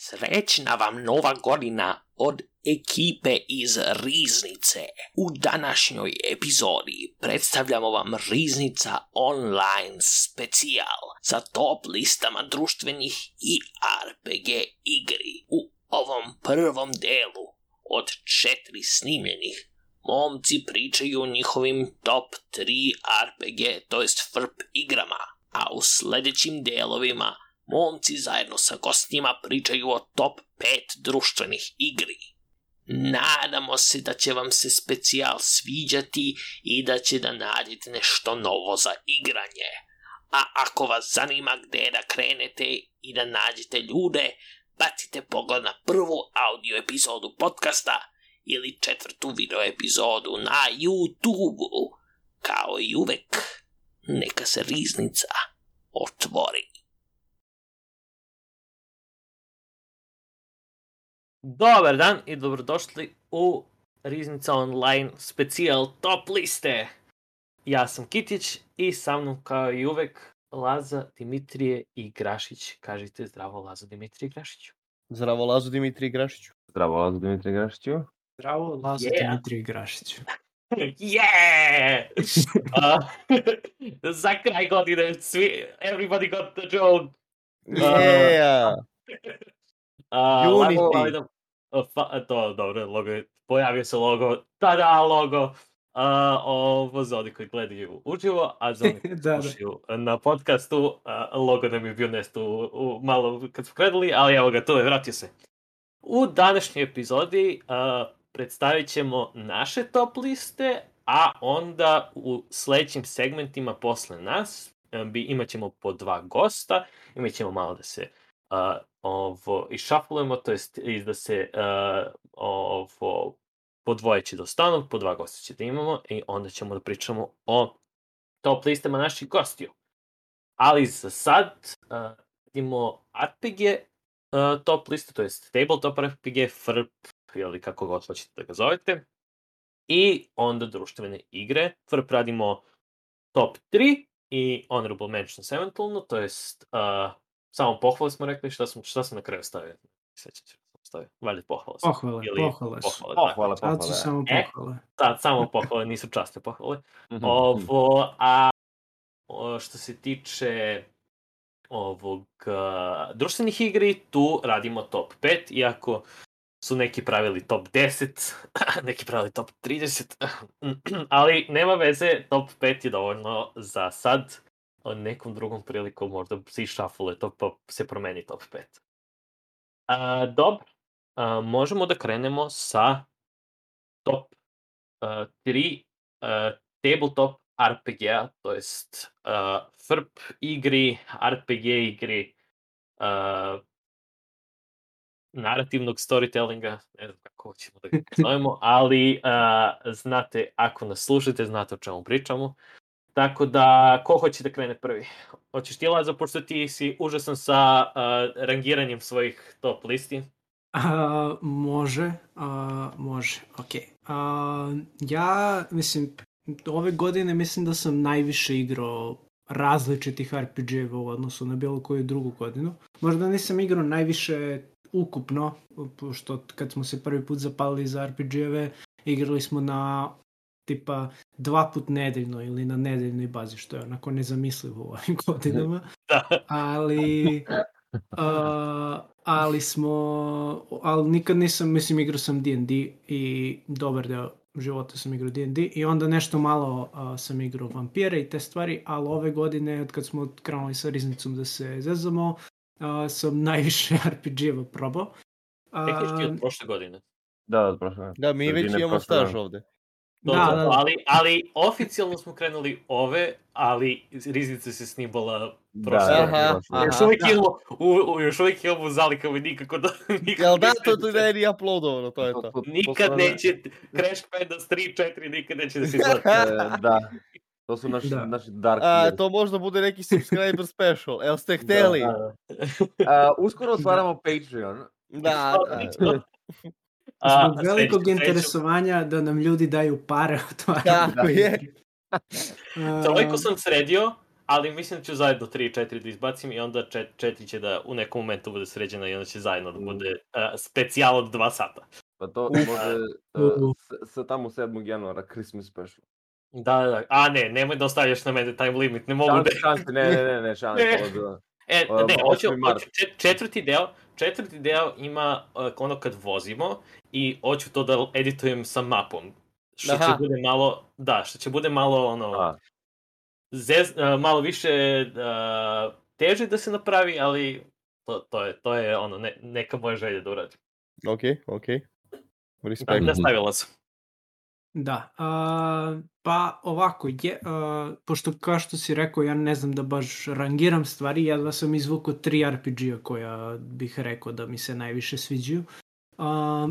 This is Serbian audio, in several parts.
Srećna vam nova godina od ekipe iz Riznice. U današnjoj epizodi predstavljamo vam Riznica online specijal sa top listama društvenih i RPG igri. U ovom prvom delu od 4 snimljenih momci pričaju o njihovim top 3 RPG, to jest FRP igrama, a u sljedećim delovima momci zajedno sa gostima pričaju o top 5 društvenih igri. Nadamo se da će vam se specijal sviđati i da će da nađete nešto novo za igranje. A ako vas zanima gdje da krenete i da nađete ljude, bacite pogled na prvu audio epizodu podcasta ili 4. video epizodu na YouTube-u. Kao i uvek, neka se Riznica otvori. Dobar dan i dobrodošli u Riznica online specijal top liste. Ja sam Kitić i sa mnom kao i uvek Laza, Dimitrije i Grašić. Kažite zdravo Lazo, Dimitrije i Grašiću. Zdravo Lazo, Dimitrije i Grašiću. Zdravo Lazo, Dimitrije i Grašiću. Zdravo Lazo, Dimitrije i Grašiću. Yeah! Za kraj godine svi, everybody got the joke. Yeah! Unity. To, dobro, logo je, pojavio se logo, tada logo, ovo za oni koji gledaju uživo, a za oni koji slušaju na podcastu, logo nam je bio nesto malo kad smo krenuli, ali evo ga, to je, vratio se. U današnjoj epizodi predstavit ćemo naše top liste, a onda u sljedećim segmentima posle nas imat ćemo po 2 gosta, imat ćemo malo da se ovo išaflujemo, to jest da se ovo po 2 će da ostanu, po 2 gosta će da imamo i onda ćemo da pričamo o top listama naših gostiju. Ali za sad vidimo RPG top liste, to jest tabletop RPG, FRP, ili kako god hoćete da ga zovete, i onda društvene igre. FRP radimo top 3 i honorable mentions eventualno, to jest samo pohvale smo rekli, šta sam na kraju stavio? Sjećate što stavio? Valjda pohvale. Pohvale. Sad su samo pohvale. Samo pohvale, nisu časne pohvale. Što se tiče ovog društvenih igri, tu radimo top 5, iako su neki pravili top 10, neki pravili top 30, ali nema veze, top 5 je dovoljno za sad. Nekom drugom prilikom možda se išafule to pa se promeni top 5. Dobro, možemo da krenemo sa top 3 tabletop RPG-a, to jest FRP igri, RPG igri, narativnog storytellinga, ne znam kako ćemo da ga zovemo, ali znate, ako nas slušate, znate o čemu pričamo. Tako da, ko hoće da krene prvi? Hoćeš ti, Lazo, pošto ti si užasan sa rangiranjem svojih top listi? Može, ok. Ja, mislim, ove godine mislim da sam najviše igrao različitih RPG-eva u odnosu na bilo koju drugu godinu. Možda nisam igrao najviše ukupno, pošto kad smo se prvi put zapalili za RPG-eve, igrali smo na tipa 2 put nedeljno ili na nedeljnoj bazi, što je onako nezamislivo u ovim godinama. Ali nikad nisam, mislim, igrao sam D&D i dobar deo života sam igrao D&D i onda nešto malo sam igrao vampire i te stvari, ali ove godine, od kad smo krenuli sa Riznicom da se zezamo, sam najviše RPG-eva probao. Tekniš ti od prošle godine? Da, od prošle godine. Da, mi već imamo staž ovde. Da. Ali oficijalno smo krenuli ove, ali Riznica se snimala prošle. Još uvijek imamo u zalikama i nikako da... Jel da, to ne je uploadovano, to je to. Nikad neće, Crash Bandicoot 3-4 nikad neće da se izgleda. Da, to su naši dark years. To možda bude neki subscriber special, jel ste hteli? Uskoro otvaramo Patreon. Da. Zbog velikog interesovanja da nam ljudi daju pare od toga. Tako je. Toliko sam sredio, ali mislim da ću zajedno 3 i 4 da izbacim i onda 4 će da u nekom momentu bude sređena i onda će zajedno da bude specijal od 2 sata. Pa to može sa tamo 7. januara, Christmas special. Da. A nemoj da ostavljaš na mene time limit, ne mogu da... Šanse, ne, šanse. Hoću četvrti deo ima ono kad vozimo i hoću to da editujem sa mapom. Što će bude malo ono... malo više teže da se napravi, ali to je ono, neka moja želja da uradim. Ok. Respekt. Nastavila sam. Da, pa ovako, pošto kao što si rekao, ja ne znam da baš rangiram stvari, jedva sam izvukao 3 RPG-a koja bih rekao da mi se najviše sviđaju.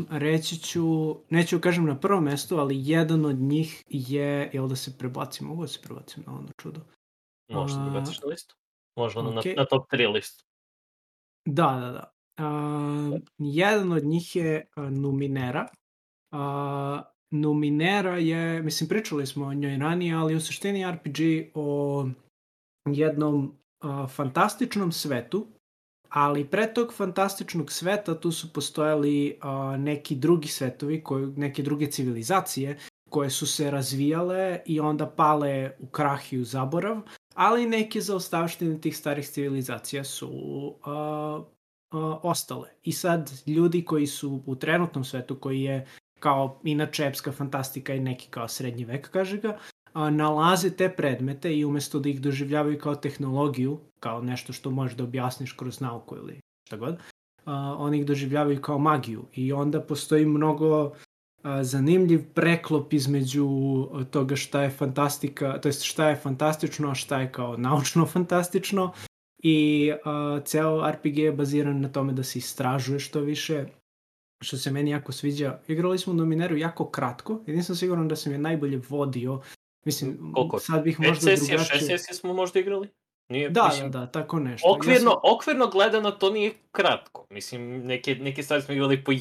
Reći ću, neću kažem na prvom mestu, ali jedan od njih je, jel da se prebacim, mogu da se prebacim na ono čudo? Možeš da prebaciš na listu? Možda na top 3 listu. Da. Jedan od njih je Numenera. Numenera je, mislim, pričali smo o njoj ranije, ali u suštini RPG o jednom fantastičnom svetu, ali pre tog fantastičnog sveta tu su postojali neki drugi svetovi, neke druge civilizacije koje su se razvijale i onda pale u krah i u zaborav, ali neke zaostavštine tih starih civilizacija su ostale. I sad ljudi koji su u trenutnom svetu, koji je kao inače epska fantastika i neki kao srednji vek, kaže ga, nalaze te predmete i umjesto da ih doživljavaju kao tehnologiju, kao nešto što možeš da objasniš kroz nauku ili šta god, oni ih doživljavaju kao magiju. I onda postoji mnogo zanimljiv preklop između toga šta je fantastika, to jest šta je fantastično, a šta je kao naučno fantastično. I ceo RPG je baziran na tome da se istražuje što više, što se meni jako sviđa. Igrali smo Numeneru jako kratko i nisam siguran da sam je najbolje vodio. Mislim, sad bih možda drugačije... 6 sesija smo možda igrali? Nije, da, tako nešto. Okvirno gledano to nije kratko. Mislim, neke stvari smo igrali po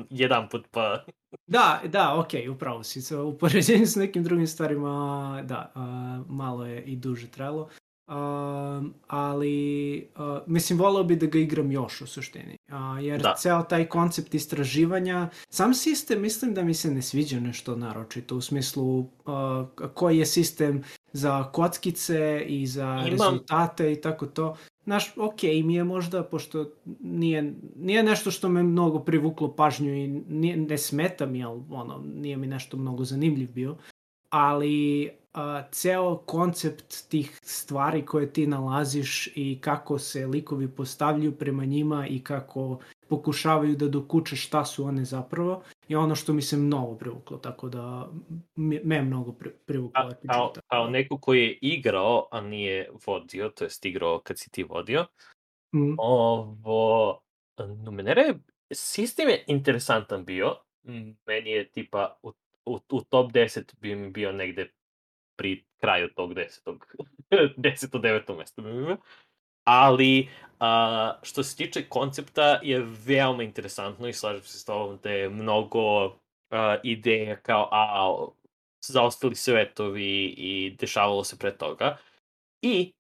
jedan put, pa... Da, okej, upravo si. U poređenju s nekim drugim stvarima, da, malo je i duže trajalo. Ali mislim, voleo bi da ga igram još u suštini, jer ceo taj koncept istraživanja, sam sistem mislim da mi se ne sviđa nešto naročito, u smislu koji je sistem za kockice i za rezultate i tako to. Znaš, okej, mi je možda, pošto nije nešto što me mnogo privuklo pažnju i ne smeta mi, ali nije mi nešto mnogo zanimljiv bio, ali ceo koncept tih stvari koje ti nalaziš i kako se likovi postavljaju prema njima i kako pokušavaju da dokuče šta su one zapravo je ono što mi se mnogo privuklo, tako da me mnogo privuklo. Kao neko koji je igrao, a nije vodio, to jest igrao kad si ti vodio, Numenera sistem je interesantan bio, meni je tipa u top 10 bi mi bio negde pri kraju tog 10-9 mesta. Ali što se tiče koncepta je veoma interesantno i slažem se s tobom da je mnogo ideja kao zaostali svetovi i dešavalo se pre toga. I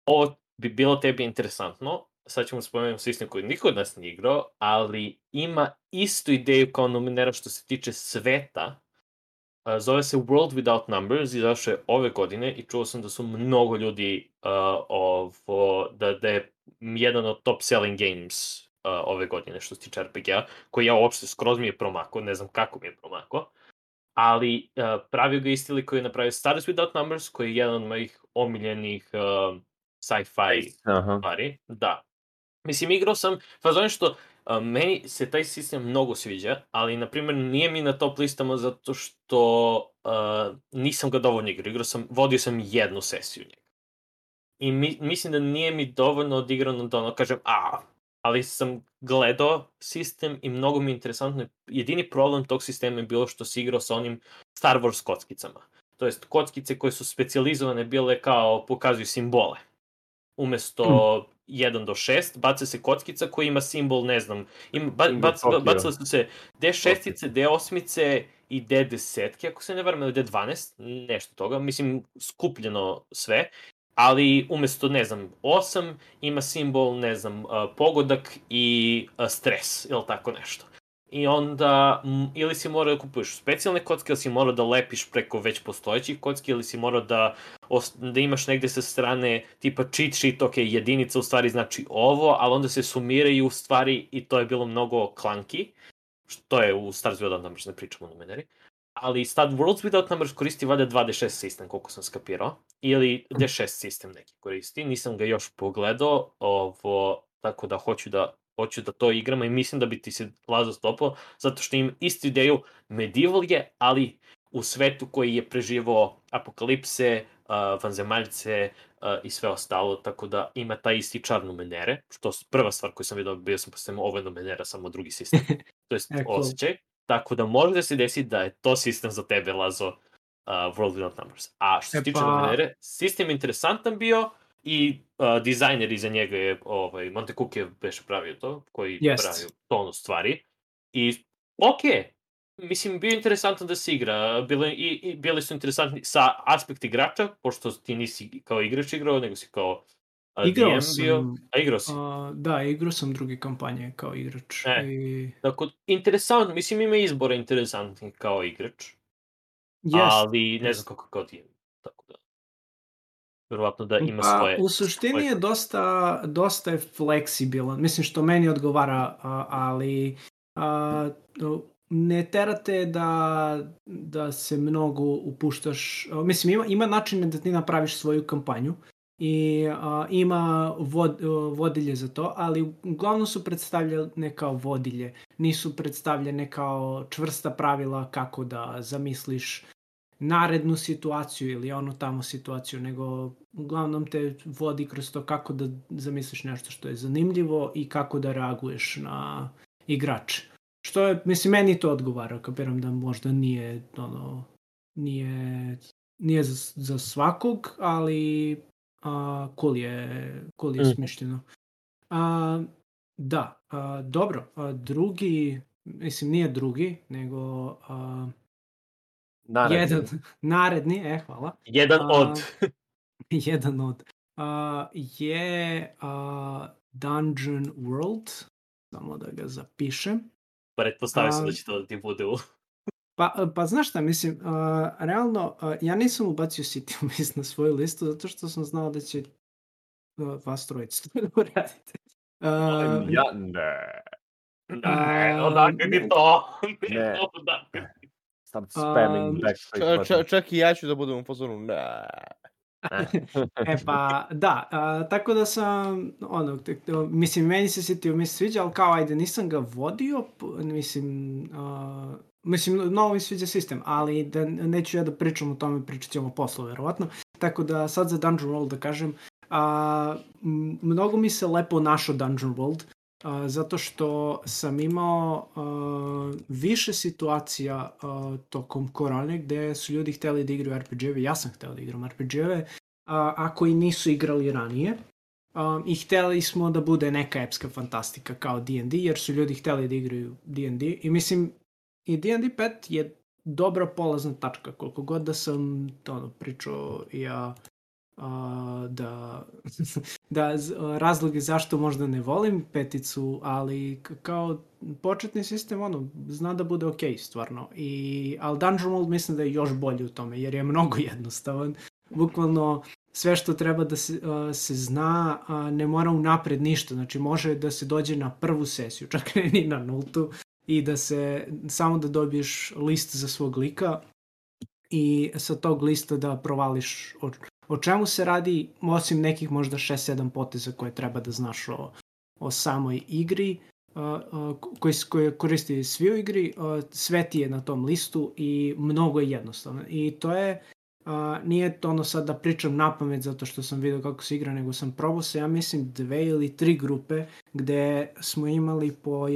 ovo bi bilo tebi interesantno, sad ćemo spomenuti sistem koji niko od nas nije igrao, ali ima istu ideju kao Numenera što se tiče sveta. Zove se World Without Numbers, izašao je ove godine i čuo sam da su mnogo ljudi da je jedan od top selling games ove godine što se tiče RPG-a, koji ja uopšte skroz mi je promakao, ne znam kako mi je promakao, ali pravio ga isti lik koji je napravio Stars Without Numbers, koji je jedan od mojih omiljenih sci-fi stvari. Da. Mislim, igrao sam, fazon što meni se taj sistem mnogo sviđa, ali, na primjer, nije mi na top listama zato što nisam ga dovoljno igrao. Vodio sam jednu sesiju njega. I mislim da nije mi dovoljno odigrano da ono kažem, ali sam gledao sistem i mnogo mi je interesantno. Jedini problem tog sistema je bilo što si igrao sa onim Star Wars kockicama. To jest, kockice koje su specijalizovane bile kao pokazuju simbole. Umesto 1 do 6, baca se kockica koja ima simbol, ne znam, bacali su se D6, D8 i D10, ako se ne varam, ili D12, nešto toga, mislim, skupljeno sve. ali umjesto, 8 ima simbol, pogodak i stres, ili tako nešto. I onda, ili si morao da kupuješ specijalne kocke, ili si morao da lepiš preko već postojećih kocki, ili si morao da imaš negde sa strane tipa cheat sheet, ok, jedinica u stvari znači ovo, ali onda se sumiraju u stvari i to je bilo mnogo clunky, što je u Stars Without Numbers, ne pričamo o numeneri. Ali sad Worlds Without Numbers koristi valjda 2D6 sistem, koliko sam skapirao, ili D6 sistem neki koristi, nisam ga još pogledao, tako da hoću da to igramo i mislim da bi ti se Lazo stopao, zato što im istu ideju, medieval je, ali u svetu koji je preživao apokalipse, vanzemaljce i sve ostalo, tako da ima taj isti čar numenere, što je prva stvar koju sam vidio, bio sam postavljamo ovo numenera, samo drugi sistem, to je osjećaj. Tako da može da se desi da je to sistem za tebe, Lazo, World Without Numbers. A što se tiče numenere, sistem je interesantan bio i dizajner iza njega je Monte Cook je već pravio to, koji pravio tonu stvari. I mislim, bio je interesantan da se igra. Bili su interesantni sa aspekt igrača, pošto ti nisi kao igrač igrao, nego si kao Igrao DM bio. A igrao si? Da, igrao sam druge kampanje kao igrač. Tako, interesantno, mislim ima izbora interesantnih kao igrač. Ali ne znam kako kao DM. Tako da. Verovatno da ima svoje... U suštini je dosta je fleksibilan. Mislim što meni odgovara, ali ne terate da se mnogo upuštaš. Mislim, ima načine da ti napraviš svoju kampanju i ima vodilje za to, ali uglavnom su predstavljene kao vodilje. Nisu predstavljene kao čvrsta pravila kako da zamisliš narednu situaciju ili onu tamo situaciju, nego uglavnom te vodi kroz to kako da zamisliš nešto što je zanimljivo i kako da reaguješ na igrače. Što je, mislim, meni to odgovara, kapiram da možda nije za svakog, ali cool je smišljeno. Da, dobro, drugi, mislim nije drugi, nego naredni, hvala. Jedan od je Dungeon World, samo da ga zapišem. Pretpostavio sam da će to da ti bude u... Pa znaš šta, mislim, realno, ja nisam ubacio City of Mist na svoju listu, zato što sam znao da će vas trojica to uradite. Ja ne. Odakle ti to? Ne. Start spamming backspace. Čak i ja ću da budem u fazonu, ne. Pa da, tako da sam, mislim, meni se City of Mist sviđa, ali kao, ajde, nisam ga vodio, mislim, mnogo mi sviđa sistem, ali da neću ja da pričam o tome, pričat ćemo posle, verovatno. Tako da sad za Dungeon World da kažem, mnogo mi se lepo našao Dungeon World, zato što sam imao više situacija tokom korone gde su ljudi hteli da igraju RPG-eve, ja sam hteo da igram RPG-eve, ako i nisu igrali ranije. I hteli smo da bude neka epska fantastika kao D&D, jer su ljudi hteli da igraju D&D. I mislim, i D&D 5 je dobra polazna tačka, koliko god da sam pričao ja da razloge zašto možda ne volim peticu, ali kao početni sistem zna da bude ok, stvarno. Ali Dungeon World mislim da je još bolji u tome, jer je mnogo jednostavan. Bukvalno sve što treba da se zna ne mora unapred ništa, znači može da se dođe na prvu sesiju, čak ne ni na nultu, i da se samo da dobiješ list za svog lika i sa tog lista da provališ o čemu se radi, osim nekih možda 6-7 poteza koje treba da znaš o samoj igri, koje koristi svi u igri, sve ti je na tom listu i mnogo je jednostavno. I to je, nije to sad da pričam napamet zato što sam vidio kako se igra, nego sam probao se, ja mislim, 2 ili 3 grupe gde smo imali po u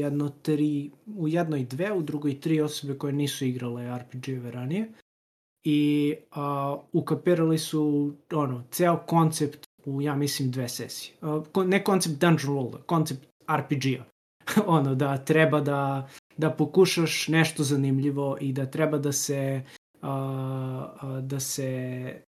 jednoj 2, u drugoj 3 osobe koje nisu igrale RPG-eve ranije. I ukapirali su ceo koncept u, ja mislim, 2 sesije. Ne koncept Dungeon Worlda, koncept RPG-a. Da treba da pokušaš nešto zanimljivo i da treba da se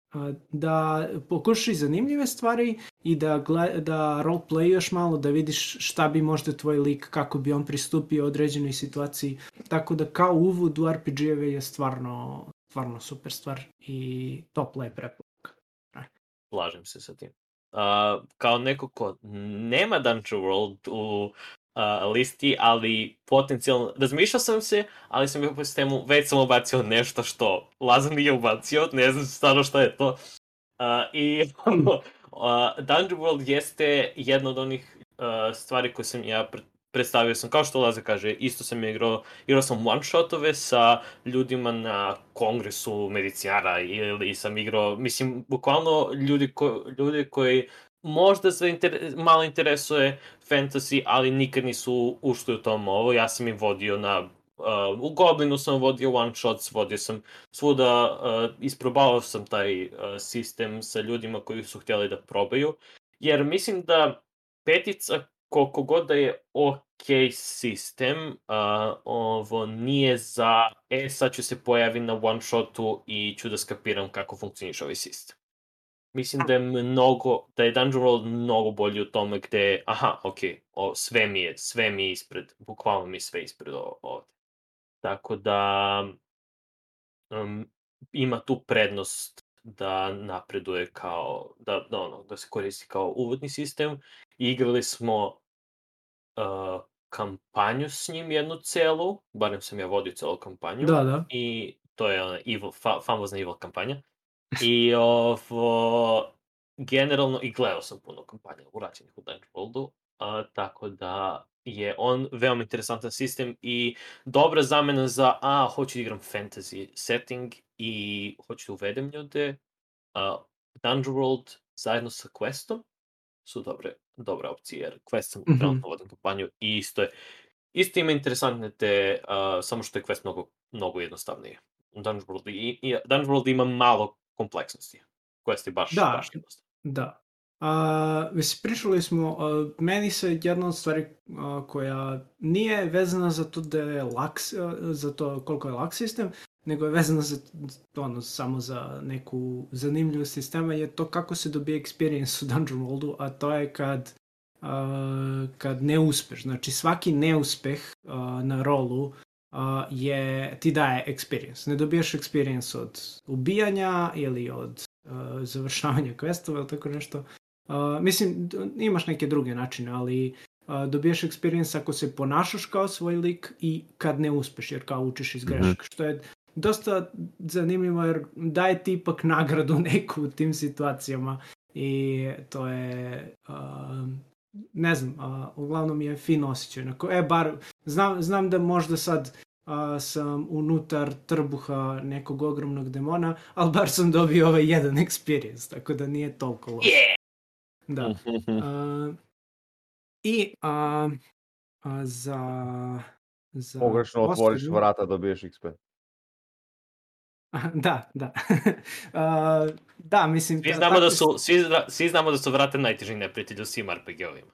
da pokušaš zanimljive stvari i da roleplayuješ malo, da vidiš šta bi možda tvoj lik, kako bi on pristupio određenoj situaciji. Tako da kao uvod u RPG-eve je stvarno super stvar i topla je preporuka. Slažem se sa tim. Kao neko ko nema Dungeon World u listi, ali potencijalno, razmišljao sam se, ali sam bio po sistemu, već sam ubacio nešto što Lazar nije ubacio, ne znam stvarno šta je to. Dungeon World jeste jedna od onih stvari koje sam ja predstavio sam, kao što Lazar kaže, isto sam igrao sam one-shotove sa ljudima na kongresu medicinara ili sam igrao, mislim, bukvalno ljudi koji možda se malo interesuje fantasy, ali nikad nisu ušli u tom ovo. Ja sam im vodio u Goblinu sam vodio one-shots, vodio sam svuda, isprobavao sam taj sistem sa ljudima koji su htjeli da probaju, jer mislim da petica, koliko god da je ok sistem, ovo nije za, sad ću se pojaviti na one-shotu i ću da skapiram kako funkcioniš ovaj sistem. Mislim da je Dungeon World mnogo bolji u tome gde, sve mi je ispred, bukvalno mi je sve ispred ovde. Tako da ima tu prednost da napreduje kao, da se koristi kao uvodni sistem. Igrali smo kampanju s njim jednu celu, barem sam ja vodio celu kampanju. Da. I to je ona famozna Evil kampanja. I generalno, i gledao sam puno kampanja urađenih u Dungeon Worldu, tako da je on veoma interesantan sistem i dobra zamena za, hoću da igram fantasy setting i hoću da uvedem ljude. Dungeon World zajedno sa Questom su dobre opcije, jer Quest sam trenutno vodim kampanju i isto ima interesantne samo što je Quest mnogo jednostavnije. Dungeon World ima malo kompleksnosti. Quest je baš jednostavno. Da. Pričali smo, meni se jedna od stvari koja nije vezana za to da je za to koliko je lak sistem, nego je vezana samo za neku zanimljivost sistema, je to kako se dobije experience u Dungeon Worldu, a to je kad ne uspeš. Znači svaki neuspeh na rolu ti daje experience. Ne dobijaš experience od ubijanja ili od završavanja questova ili tako nešto. Mislim, imaš neke druge načine, ali dobijaš experience ako se ponašaš kao svoj lik i kad ne uspeš, jer kao učiš iz grešaka, što je dosta zanimljivo, jer daje ti ipak nagradu neku u tim situacijama i to je, ne znam, uglavnom je fin osjećaj. Bar, znam da možda sad sam unutar trbuha nekog ogromnog demona, ali bar sam dobio ovaj jedan experience, tako da nije toliko loš. Da. I za pogrešno otvoriš vrata, dobiješ XP. Da. Da, mislim... Svi znamo da su vrata najteži neprijatelj u svim RPG-ovima.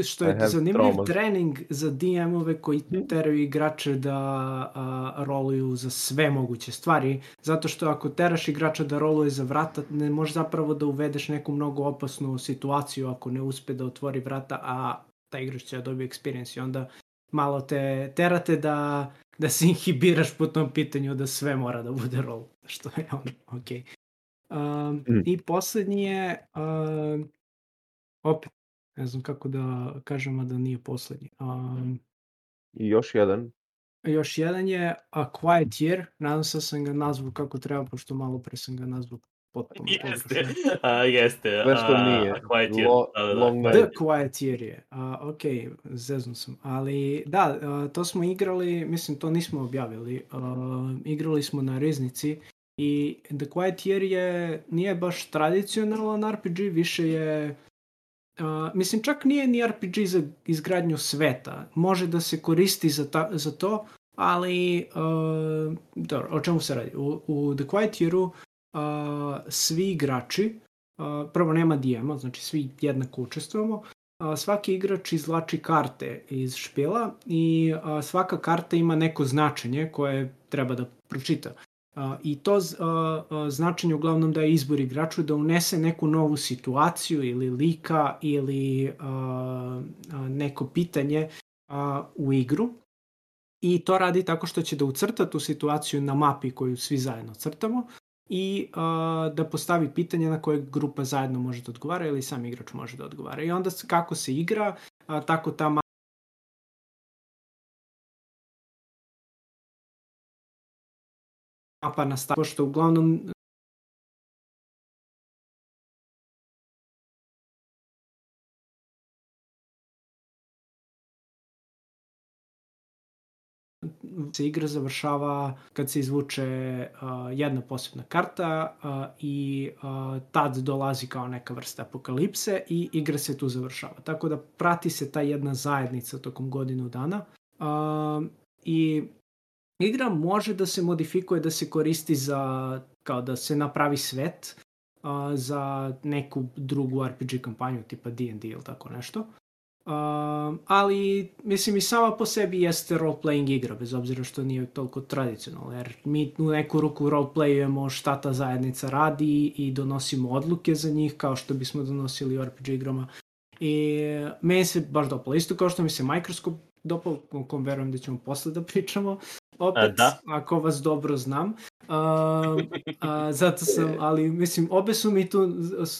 Što je zanimljiv trening za DM-ove koji teraju igrače da roluju za sve moguće stvari, zato što ako teraš igrača da roluje za vrata, ne možeš zapravo da uvedeš neku mnogo opasnu situaciju ako ne uspe da otvori vrata, a taj igrač će da dobije experience i onda malo te terate da se inhibiraš po tom pitanju da sve mora da bude rol, što je okej. I posljednji je opet ne znam kako da kažem, a da nije posljednji. I još jedan. Još jedan je A Quiet Year. Nadam se da sam ga nazvao kako treba, pošto malo pre sam ga nazvao potpuno. Jeste. Sve što nije. Quiet Year. The Quiet Year je. Ok, zeznu sam. Ali da, to smo igrali, mislim to nismo objavili. Igrali smo na Riznici i The Quiet Year nije baš tradicionalan RPG, više je... mislim, čak nije ni RPG za izgradnju sveta. Može da se koristi za to, ali dobro, o čemu se radi? U The Quiet Year-u svi igrači, prvo nema DM-a, znači svi jednako učestvujemo, svaki igrač izvlači karte iz špila i svaka karta ima neko značenje koje treba da pročita. I to značenje uglavnom daje izbor igraču da unese neku novu situaciju ili lika ili neko pitanje u igru. I to radi tako što će da ucrta tu situaciju na mapi koju svi zajedno crtamo i da postavi pitanje na koje grupa zajedno može da odgovara ili sam igrač može da odgovara. I onda kako se igra, tako ta mapa nastavi. Pošto uglavnom se igra završava kad se izvuče jedna posebna karta i tad dolazi kao neka vrsta apokalipse i igra se tu završava. Tako da prati se ta jedna zajednica tokom godinu dana i igra može da se modifikuje, da se koristi za, kao da se napravi svet za neku drugu RPG kampanju tipa D&D ili tako nešto. Ali mislim i sama po sebi jeste role-playing igra, bez obzira što nije toliko tradicionalno, jer mi u neku ruku role-playujemo šta ta zajednica radi i donosimo odluke za njih kao što bismo donosili u RPG igrama. I meni se baš dopalo, isto kao što mi se Microscope dopalo, o kom verujem da ćemo posle da pričamo, opet, ako vas dobro znam. Zato sam, ali mislim, obe su mi tu,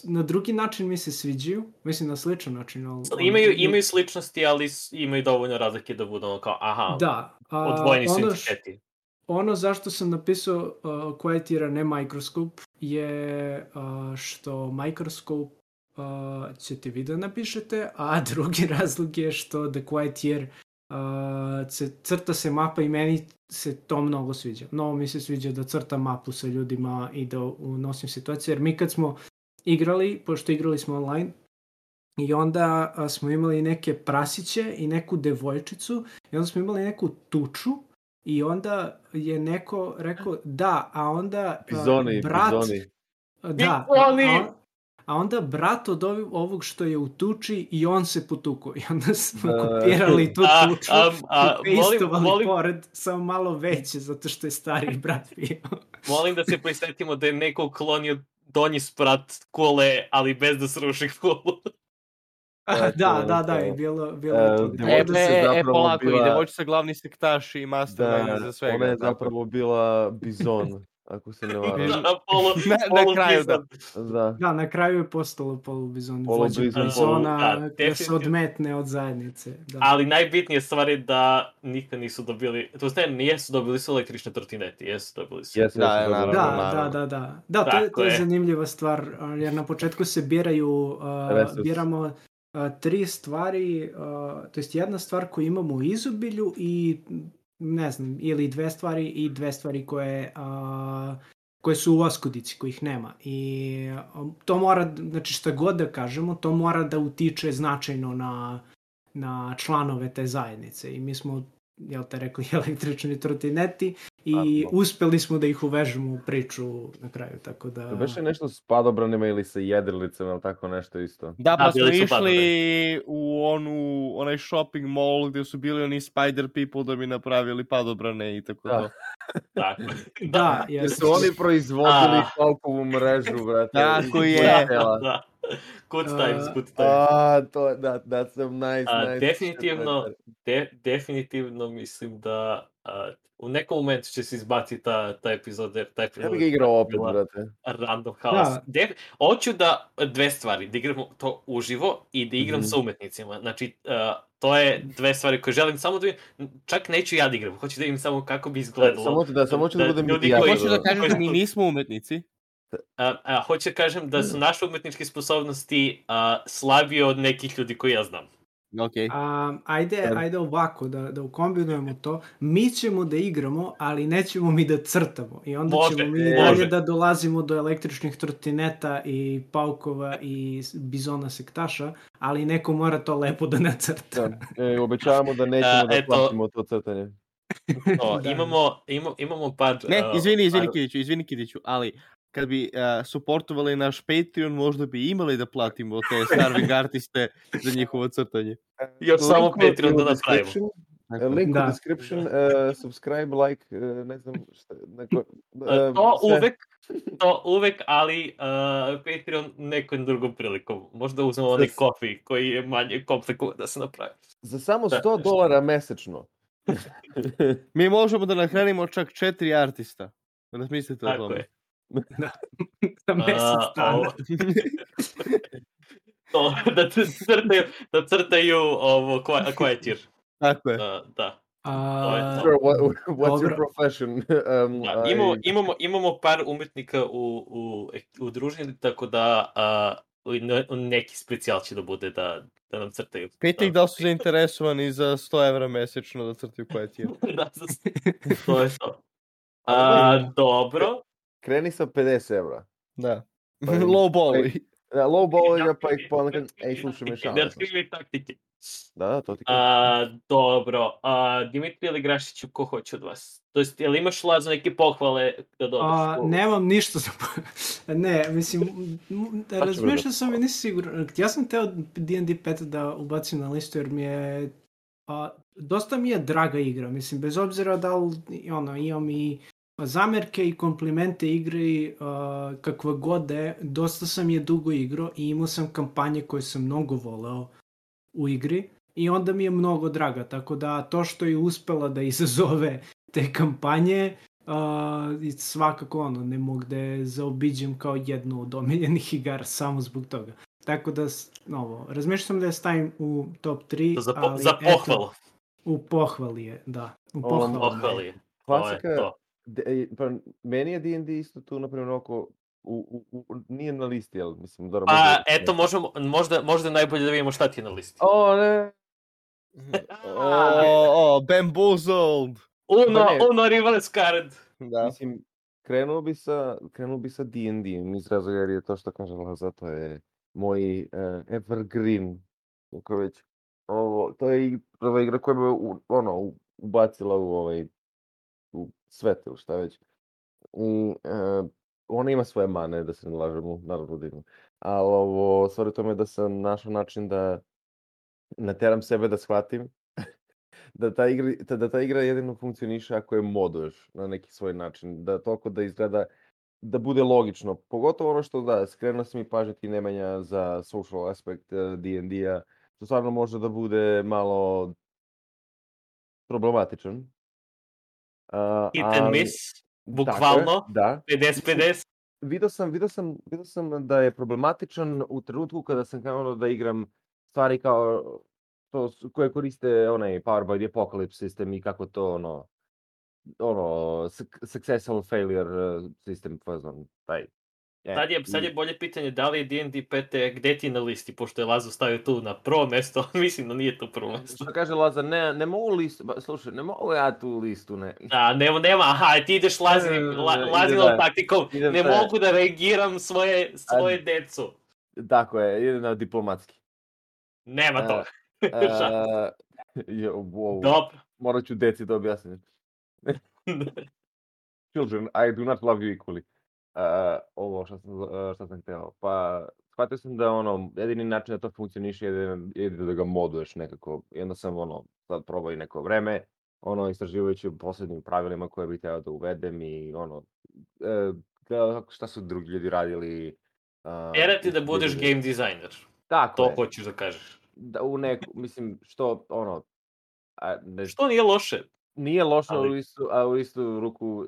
na drugi način mi se sviđaju, mislim na sličan način. Ali, imaju sličnosti, ali imaju dovoljno razlike da budu kao, odvojeni su entiteti. Ono zašto sam napisao Quiet Year, ne Microscope, je što Microscope ćete vi da napišete, a drugi razlog je što The Quiet Year crta se mapa i meni se to mnogo sviđa. Mnogo mi se sviđa da crtam mapu sa ljudima i da unosim situacije, jer mi kad smo igrali, pošto igrali smo online, i onda smo imali neke prasiće i neku devojčicu i onda smo imali neku tuču i onda je neko rekao da, a onda brat... Da, a onda brat od ovog što je u tuči i on se potuko. I onda smo kopirali tu tuču i pastovali pored, samo malo veće, zato što je stariji brat bio. Molim da se prisetimo da je neko klonio donji sprat kule, ali bez da sruši kulu. Da, i bilo je to. Polako, i devojčica glavni sektaš i mastermind za svega. Ona je zapravo bila bizon. Ako se ne varam. Na kraju, da. Na kraju je postalo polubizon. Bizona koja se odmetne od zajednice. Da. Ali najbitnije stvar je da nikad nisu dobili, to je nijesu dobili su električne trotineti, jesu dobili su. Da, to je zanimljiva stvar, jer na početku se biramo 3 stvari, to jest jedna stvar koju imamo u izobilju i ne znam, ili 2 stvari i 2 stvari koje su u oskudici, kojih nema. I to mora, znači šta god da kažemo, to mora da utiče značajno na članove te zajednice. I mi smo, jel te rekli, električni trotineti i uspeli smo da ih uvežemo u priču na kraju, tako da... To beše nešto s padobranima ili sa jedrilicama ili tako nešto isto. Da, pa smo išli u onaj shopping mall gdje su bili oni spider people da bi napravili padobrane i tako to. Da, jer su oni proizvodili Falkovu mrežu, brate. Tako je. Good times. That's some nice. Definitivno mislim da u nekom momentu će se izbaciti ta epizoda, jer ta epizoda... Ja bih ga igrao opet, brate. Random house. Hoću da 2 stvari, da igram to uživo i da igram sa umetnicima. Znači, to je 2 stvari koje želim samo da vidim. Čak neću ja da igram, hoću da vidim samo kako bi izgledalo. Samo ću da budem ja. Hoću da kažem da mi nismo umetnici. Hoću da kažem da su naše umetničke sposobnosti slabije od nekih ljudi koji ja znam. Okay. Ajde ovako, da ukombinujemo to. Mi ćemo da igramo, ali nećemo mi da crtamo. I onda ćemo mi dalje da dolazimo do električnih trotineta i paukova i bizona sektaša, ali neko mora to lepo da nacrta. Obećavamo da nećemo da platimo to crtanje. Imamo par... Ne, izvini Kidiću, ali... Kad bi supportovali naš Patreon, možda bi imali da platimo te starving artiste za njihovo crtanje. Još samo Patreon da napravimo. Link u description, subscribe, like, ne znam šta, To uvek, ali Patreon nekom drugom prilikom. Možda uzmemo onaj kofi koji je manje komplikovan da se napravi. Za samo $100 mesečno. Mi možemo da nahranimo čak 4 artista. Razmislite o tome. Na mesec dana. Da crtaju ovo Quietir. Tako je. Da. What's your profession? Imamo par umetnika u družini, tako da neki specijal će da bude da nam crtaju. Pita ih da li su zainteresovani za $100 mesečno da crtaju Quietir. Da, to je to. Dobro. Kreni sa $50. Da. Low balli. Da, low balli, pa ih ponekad, slušaj me šalim. Da skrivi taktike. Da, to ti kažem. Dobro. Dimitrije ili Grašiću, ko hoće od vas? To jest, jel imaš, Lazo, neke pohvale da dodaš? Nemam ništa za... Ne, mislim, razmišljao sam i nisi siguran. Ja sam teo D&D 5 da ubacim na listu jer mi je... dosta mi je draga igra, mislim, bez obzira da li imam i zamerke i komplimente igre kakva god je, dosta sam je dugo igrao i imao sam kampanje koje sam mnogo voleo u igri i onda mi je mnogo draga, tako da to što je uspela da izazove te kampanje svakako ne mogu da je zaobiđem kao jednu od omiljenih igara samo zbog toga. Tako da, razmišljam sam da je stavim u top 3. Za pohvalu. U pohvali je, da. U pohvali je. Klasika, pa meni je D&D isto tu, naprimjer, oko, nije na listi, jel? Mislim, dobro. Eto, možda najbolje da vidimo šta ti je na listi. Ne. Bamboozled. Uno reverse card. Da. Mislim, krenuo bi sa D&D, iz razloga jer je to što kaže Laza, to je moj evergreen, kako već. To je ova igra koja me ubacila u svet ili šta već. Ona ima svoje mane, da se ne lažemo, naravno da ima. Ali stvari tome da sam našao način da nateram sebe da shvatim da ta igra jedino funkcioniše ako je moduješ na neki svoj način, da toliko da izgleda, da bude logično. Pogotovo ono što skrenuo sam i pažnju ti Nemanja za social aspekt D&D-a, što stvarno može da bude malo problematičan. Hit and miss, bukvalno, da. 50-50. Vidio sam da je problematičan u trenutku kada sam krenuo da igram stvari kao to koje koriste onaj Power by the Apocalypse sistem i kako to successful failure sistem, taj. Sad je bolje pitanje da li je D&D 5 gde ti na listi, pošto je Lazo stavio tu na prvo mesto, mislim da nije to prvo mesto. Što kaže Laza, ne mogu listu, slušaj, ne mogu ja tu listu, ne. Da, nema, ti ideš Lazinom taktikom, ne mogu da reagiram svoje decu. Tako je, ide na diplomatski. Nema to. Dobro. Morat ću deci da objasnim. Children, I do not love you equally. Ovo što sam hteo. Pa, shvatio sam da jedini način da to funkcioniše je da ga moduješ nekako. I onda sam sad probao i neko vreme, istraživajući u poslednjim pravilima koje bih hteo da uvedem i šta su drugi ljudi radili. Tjera ti da budeš game designer. Tako to hoćeš da kažeš. Da, mislim, što, što nije loše? Nije loše, a u istu ruku,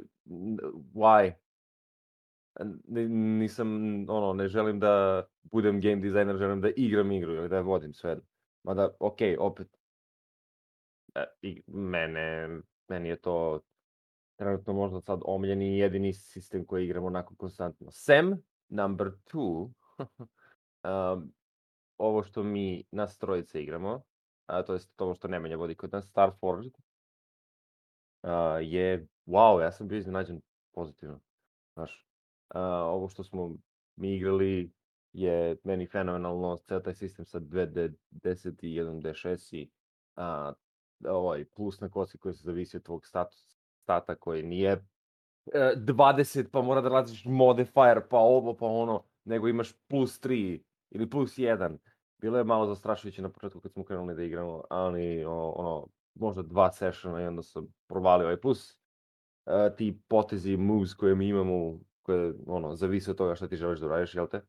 why? Nisam, ne želim da budem game designer, želim da igram igru ili da je vodim sve. Mada, opet, meni je to trenutno možda sad omiljeni jedini sistem koji igram onako konstantno. Number 2, ovo što mi nas trojice igramo, to je to što Nemanja vodi kod nas, Starforged, je, wow, ja sam bio iznenađen pozitivno, znaš. Ovo što smo mi igrali je meni fenomenalno, ceo taj sistem sa 2D10 i 1D6 i plus na kosi koji se zavisi od tvog stata koji nije 20 pa mora da radiš modifier pa ovo pa ono, nego imaš plus 3 ili plus 1. Bilo je malo zastrašujuće na početku kad smo krenuli da igramo, ali možda 2 sessiona i onda sam provalio. Plus ti potezi, moves koje mi imamo, koje zavise od toga šta ti želiš da radiš, jel te?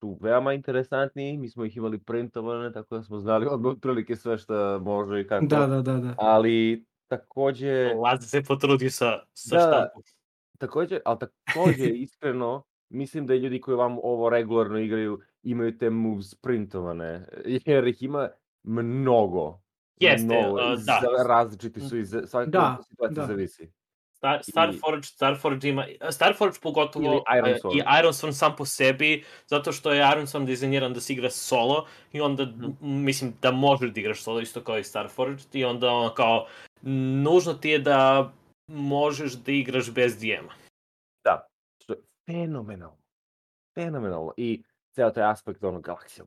Su veoma interesantni, mi smo ih imali printovane, tako da smo znali otprilike sve šta može i kako. Da. Ali takođe... Lazi se potrudio sa štampom. Takođe iskreno, mislim da ljudi koji vam ovo regularno igraju imaju te moves printovane, jer ih ima mnogo. Jeste, da. Različiti su i svaka situacija zavisi. Starforge ima, Starforge pogotovo i Ironsworn sam po sebi, zato što je Ironsworn dizajniran da se igra solo i onda mislim da možeš da igraš solo isto kao i Starforge i onda kao nužno ti je da možeš da igraš bez DM-a. Da, što je fenomenalno i ceo taj aspekt galaksija,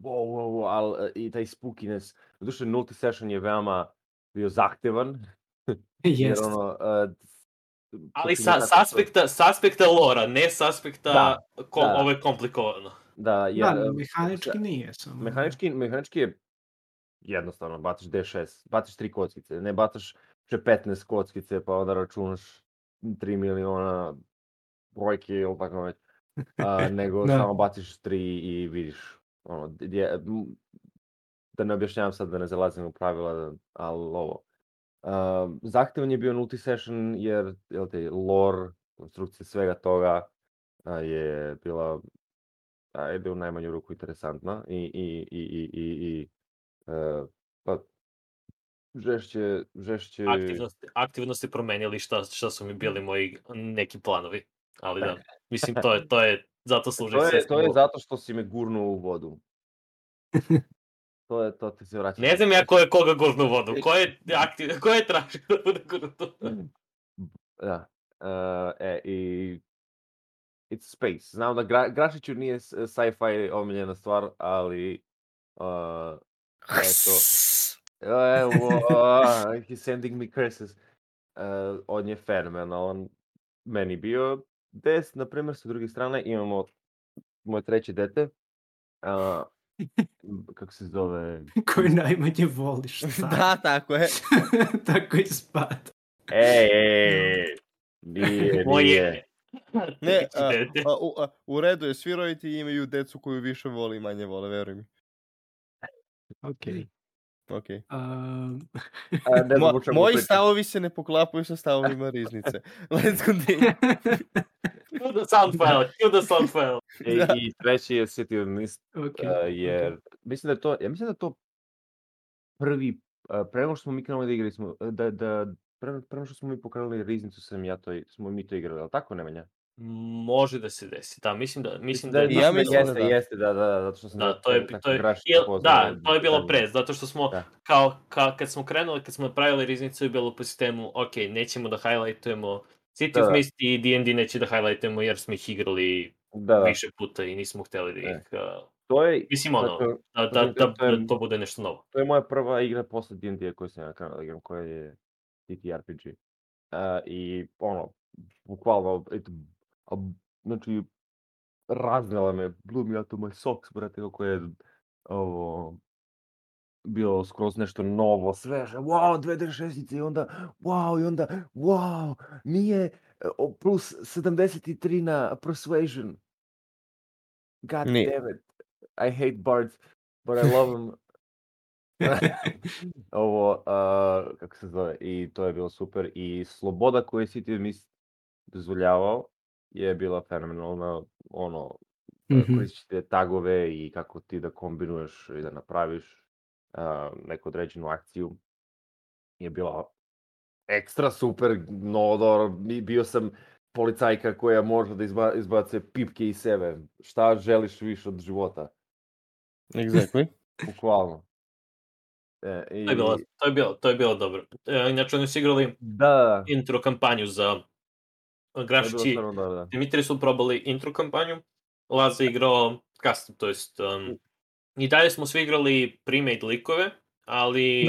ali i taj spookiness, doduše nulti session je veoma bio zahtevan, jer ali s aspekta lora, ne s aspekta ovo je komplikovano. Da, mehanički nije samo. Mehanički je jednostavno, bacaš D6, bacaš 3 kockice, ne bacaš 15 kockice pa onda računaš 3 miliona brojke ili tako već, nego samo baciš 3 i vidiš, da ne objašnjavam sad, da ne zalazim u pravila, ali ovo. Zahtevan je bio nulti session jer lore, konstrukcija svega toga je bila u najmanju ruku interesantna i žešće... Aktivnosti promenili šta su mi bili moji neki planovi, ali da, mislim to je zato služi sve. To je zato što si me gurnuo u vodu. To ti se vraća. Ne znam ja ko je koga gurnuo u vodu, ko je tražio da bude gurnuo. Da, i it's space. Znam da Grašiću nije sci-fi omiljena stvar, ali eto... He's sending me curses. On je fenomenalan. Meni bio 10, na primjer, sa druge strane imamo moje treće dete. Kako se zove? Koji najmanje voliš. Da, tako je. Tako ispada. Nije. Ne, u redu je, svi roditelji imaju decu koju više vole i manje vole, veruj mi. Okej. Moji stavovi se ne poklapaju sa stavovima Riznice. Let's continue. Cue the sound file. I treći je City of Mist, jer mislim da je to prvi, prema što smo mi krenuli da igrali smo, prema što smo mi pokrenuli Riznicu smo mi to igrali, ali tako, Nemanja? Može da se desi, da, mislim da jeste, zato što sam to je bilo pre, zato što smo kad smo krenuli, kad smo napravili Riznicu je bilo po sistemu, ok, nećemo da highlightujemo City of Mist i D&D neće da highlightujemo jer smo ih igrali više puta i nismo hteli da ih... Mislim da to bude nešto novo. To je moja prva igra posle D&D koju sam ja krenuo da igram, koja je TTRPG. I bukvalno, znači, raznela me, blew me out of my socks, brate, kako je bilo skroz nešto novo, sveže, wow, 2D6 i onda, wow, nije plus 73 na Persuasion. God damn it, I hate bards, but I love them. Kako se zove, i to je bilo super, i sloboda koju je City of Mist dozvoljavao je bila fenomenalna, koristiš te tagove i kako ti da kombinuješ i da napraviš neku određenu akciju je bila ekstra super, bio sam policajka koja može da izbace pipke iz sebe, šta želiš više od života. Exactly. Bukvalno. To je bilo dobro. Inače, oni su igrali intro kampanju za Grašići. Dimitri su probali intro kampanju, Laza igrao custom, to jest i dalje smo svi igrali pre-made likove, ali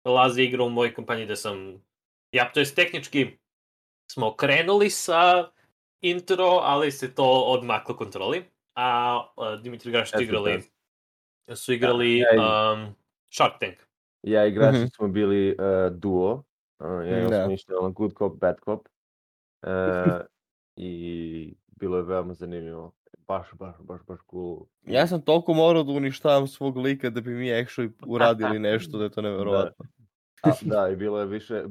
Laza igrao u mojoj kampanji gde sam, to jest tehnički smo krenuli sa intro, ali se to odmaklo kontroli, a Dimitri i Grašić su igrali Shark Tank. Ja i Grašić smo bili duo. Ja smo išli na Good Cop, Bad Cop. I bilo je veoma zanimljivo. Baš cool. Ja sam toliko morao da uništavam svog lika da bi mi actually uradili nešto da je to neverovatno. Da, i bilo je više,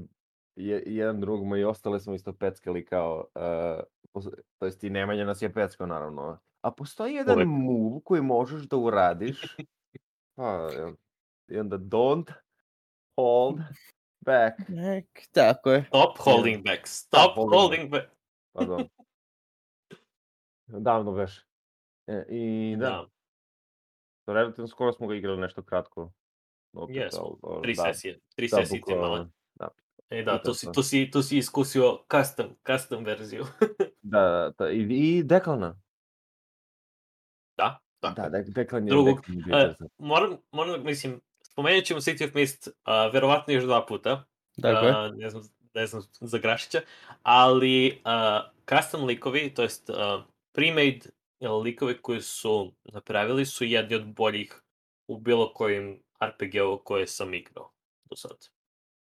jedan drugom i ostale smo isto peckali kao, to jest i Nemanja nas je peckao naravno. A postoji jedan move koji možeš da uradiš, i onda don't hold back. Tako je. Stop holding back. Stop holding back. Pardon. Davno već. I da. Relativno skoro smo ga igrali nešto kratko. Jesmo, 3 sesije. 3 sesije ti male. Da, tu si iskusio custom verziju. Da, i Deklana. Da. Deklan je... Moram, mislim, spomenut ćemo City of Mist verovatno još 2 puta. Ne znam za Grašića, ali custom likovi, to jest pre-made likovi koji su napravili su jedni od boljih u bilo kojim RPG-u koje sam igrao do sad.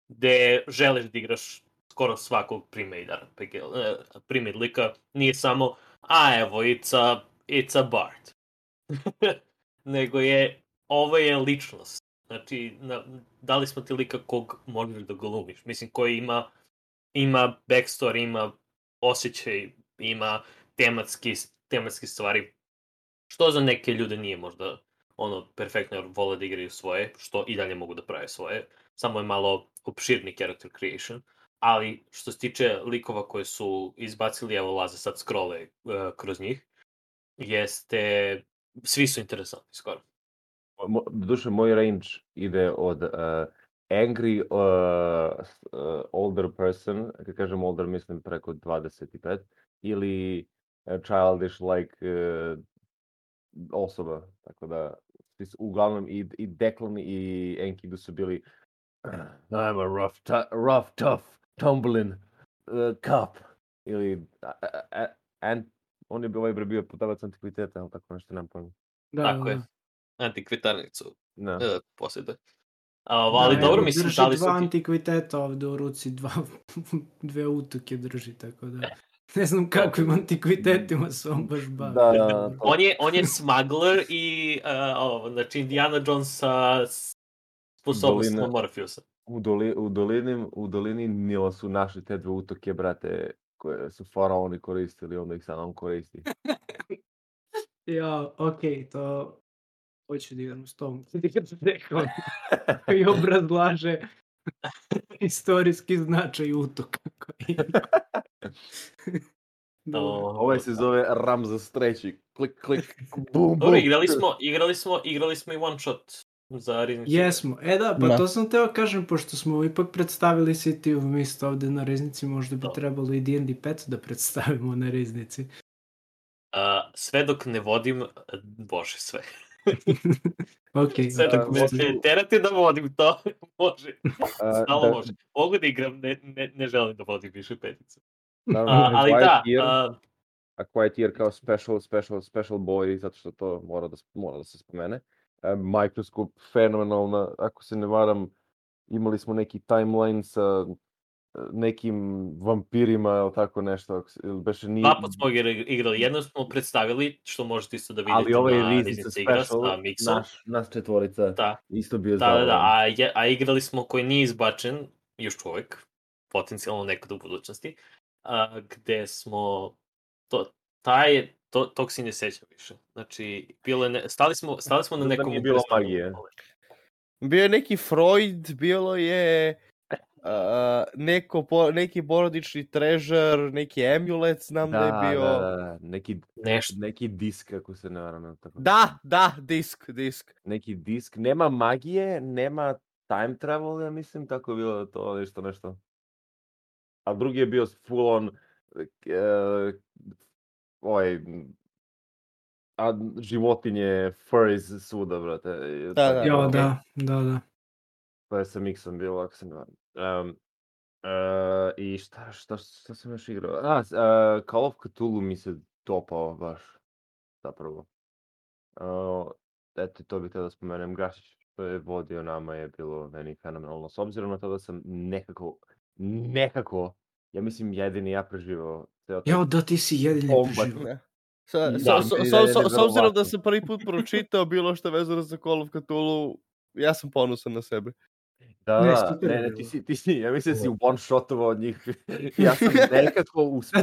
Gde želiš da igraš skoro svakog pre-made lika, nije samo evo, it's a bard. Nego ovo je ličnost. Znači, dali smo ti lika kog možeš da glumiš. Mislim, koji ima backstory, ima osjećaj, ima tematske stvari. Što za neke ljude nije možda perfektno, jer vole da igraju svoje, što i dalje mogu da prave svoje. Samo je malo opširni character creation. Ali, što se tiče likova koje su izbacili, evo Laze sad scrolle kroz njih, svi su interesantni skoro. Doduše, moj range ide od angry older person, kad kažem older mislim preko 25, ili childish like osoba, tako da uglavnom i Declan i Enkidu su bili I'm a rough, tough, tumbling cop, ili on je bio putavac antikviteta, ali tako nešto nam pojma. Tako je. Antikvitarnicu posjeduje. Ali dobro, mislim, drži dva antikviteta ovdje u ruci, dve utuke drži, tako da ne znam kakvim antikvitetima se on baš bavi. On je smuggler i znači Indiana Jones sa sposobnostima Morpheusa. U dolini Nila su našli te dve utoke, brate, koje su faraoni koristili, onda ih sad on koristi. Okej, to hoću da igram s tom. I obrazlaže istorijski značaj utoka. Ovaj se zove Ramzes III. Klik, bum, bum. Igrali smo i one shot za Riznicu. Jesmo. To sam teo kažem, pošto smo ipak predstavili City of Mist ovde na Riznici, možda bi trebalo i D&D 5 da predstavimo na Riznici. Sve dok ne vodim, bože sve. Sve dok me terate da vodim to, može. Stalo može. Mogu da igram, ne želim da vodim više peticu. Ali da... A Quiet Year kao special boy, zato što to mora da se spomene. Microscope, fenomenalna, ako se ne varam, imali smo neki timeline sa nekim vampirima ili tako nešto. Dva put smo igrali, jedno smo predstavili, što možete isto da vidite na Riznici igra sa Mixom. Nas četvorica, isto bio zabavan. A igrali smo koji nije izbačen, još uvek, potencijalno nekad u budućnosti, gde smo, tog si ne sećam više. Znači, stali smo na nekom... Nije bilo magije. Bio je neki Freud, bilo je... neki porodični treasure, neki amulet, znam da je bio... Da, neki disk, ako se ne varam. Da, disk. Neki disk, nema magije, nema time travel, ja mislim, tako je bilo to nešto. A drugi je bio full on životinje, furries svuda, brate. Da. To je sa Mixom bilo, ako se ne varam. I šta sam još igrao? Call of Cthulhu mi se dopao baš, zapravo. Eto, to bih htio da spomenem. Grašić, što je vodio nama je bilo meni fenomenalno. S obzirom na to da sam nekako, ja mislim jedini ja preživao. Jao, da ti si jedini preživao. S obzirom da sam prvi put pročitao bilo što vezano za Call of Cthulhu, ja sam ponosan na sebe. Da, ne, ti si, ja mislim da si one-shotovao od njih. Ja sam nekako uspeo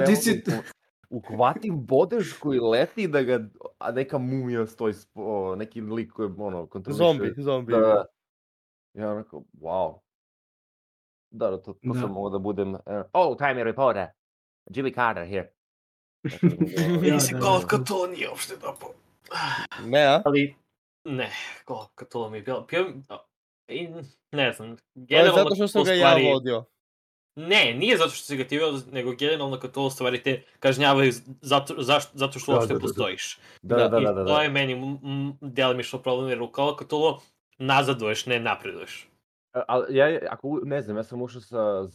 uhvatim bodež koji leti da ga, a neka mumija stoji, neki lik koji kontroliše. Zombi. Da. Ja onako, wow. Da, to sam mogao da budem, time reporter, Jimmy Carter here. Nisi Call of Cthulhu nije uopšte dobro. Ne, a? Ali, ne, Call of Cthulhu mi je bilo, ne znam. To je zato što sam ga ja vodio. Ne, nije zato što si ga ti vodio, nego generalno kad to u stvari te kažnjavaju zato što uopšte postojiš. Da. I to je meni delimično problem, jer u Call of Cthulhu nazaduješ, ne napreduješ. Ali ja sam ušao sa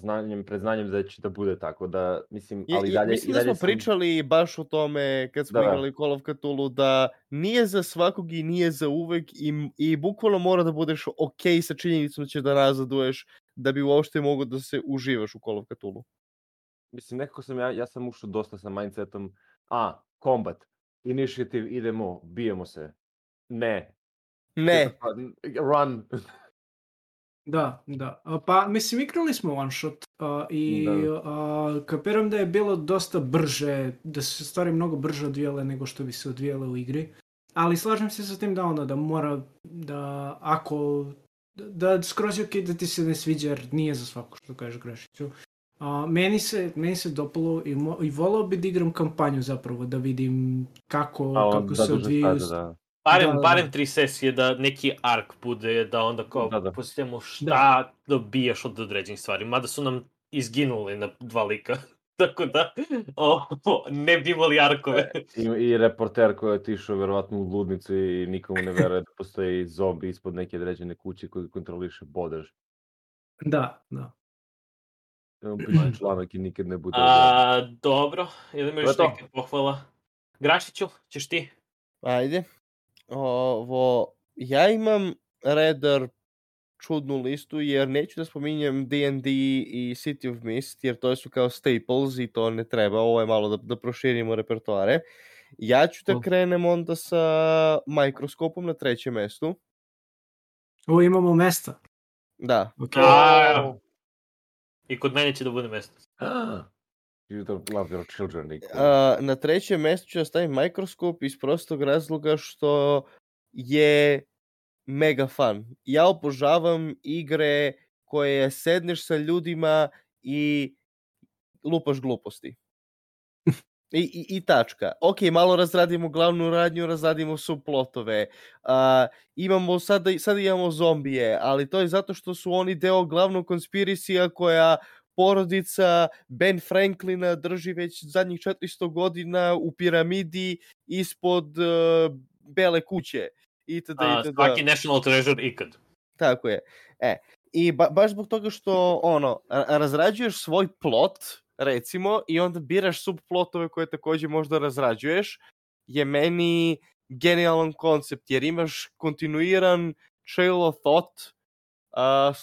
predznanjem da će da bude tako, da mislim, ali dalje... Mislim da smo pričali baš o tome kad smo igrali Call of Cthulhu, da nije za svakog i nije za uvek i bukvalno mora da budeš okej sa činjenicom da ćeš da nazaduješ da bi uopšte mogao da se uživaš u Call of Cthulhu. Mislim, nekako ja sam ušao dosta sa mindsetom, combat, initiative, idemo, bijemo se. Ne. Run. Da. Pa, mislim, igrali smo one shot i kapiram da je bilo dosta brže, da su se stvari mnogo brže odvijale nego što bi se odvijale u igri. Ali slažem se sa tim da mora, da ako, da skroz je okej da ti se ne sviđa jer nije za svako što kažeš Grašiću. Meni se dopalo i volao bi da igram kampanju zapravo, da vidim kako se odvijaju. Barem 3 sesije da neki ark bude, da onda kao posjetimo šta dobijaš od određenih stvari. Mada su nam izginuli na 2 lika. Tako da, ne bi imali arkove. I reporter koji je otišao verovatno u ludnicu i nikomu ne veruje da postoji zombi ispod neke određene kuće koji kontroliše bodež. Da. Piše članak i nikad ne bude. Dobro, ili imaš neke pohvala? Grašiću, ćeš ti? Ajde. Ja imam redar čudnu listu jer neću da spominjem D&D i City of Mist jer to su kao staples i to ne treba, ovo je malo da proširimo repertoare. Ja ću da krenem onda sa Mikroskopom na 3. mestu. Imamo mesta. Da. I kod mene će da bude mesto. You don't love your children. Na 3. mjestu ću da stavim Mikroskop iz prostog razloga što je mega fun. Ja obožavam igre koje sedneš sa ljudima i lupaš gluposti. I tačka. Ok, malo razradimo glavnu radnju, razradimo subplotove. Sada imamo zombije, ali to je zato što su oni deo glavnog konspirisija koja porodica Ben Franklina drži već zadnjih 400 godina u piramidi ispod Bele kuće. Svaki national treasure ikad. Tako je. I baš zbog toga što razrađuješ svoj plot, recimo, i onda biraš subplotove koje također možda razrađuješ, je meni genijalan koncept, jer imaš kontinuiran trail of thought,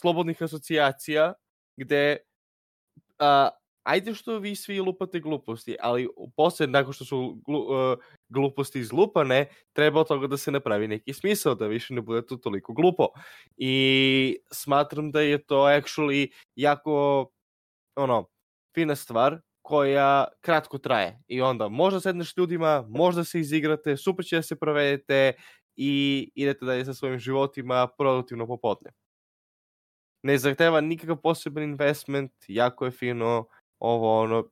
slobodnih asocijacija, gde ajde što vi svi lupate gluposti, ali poslije, nakon što su gluposti izlupane, treba od toga da se napravi neki smisao, da više ne bude to toliko glupo. I smatram da je to actually jako fina stvar koja kratko traje. I onda možda sedneš s ljudima, možda se izigrate, super će da se provedete i idete dalje sa svojim životima produktivno popodne. Ne zahteva nikakav poseban investment, jako je fino,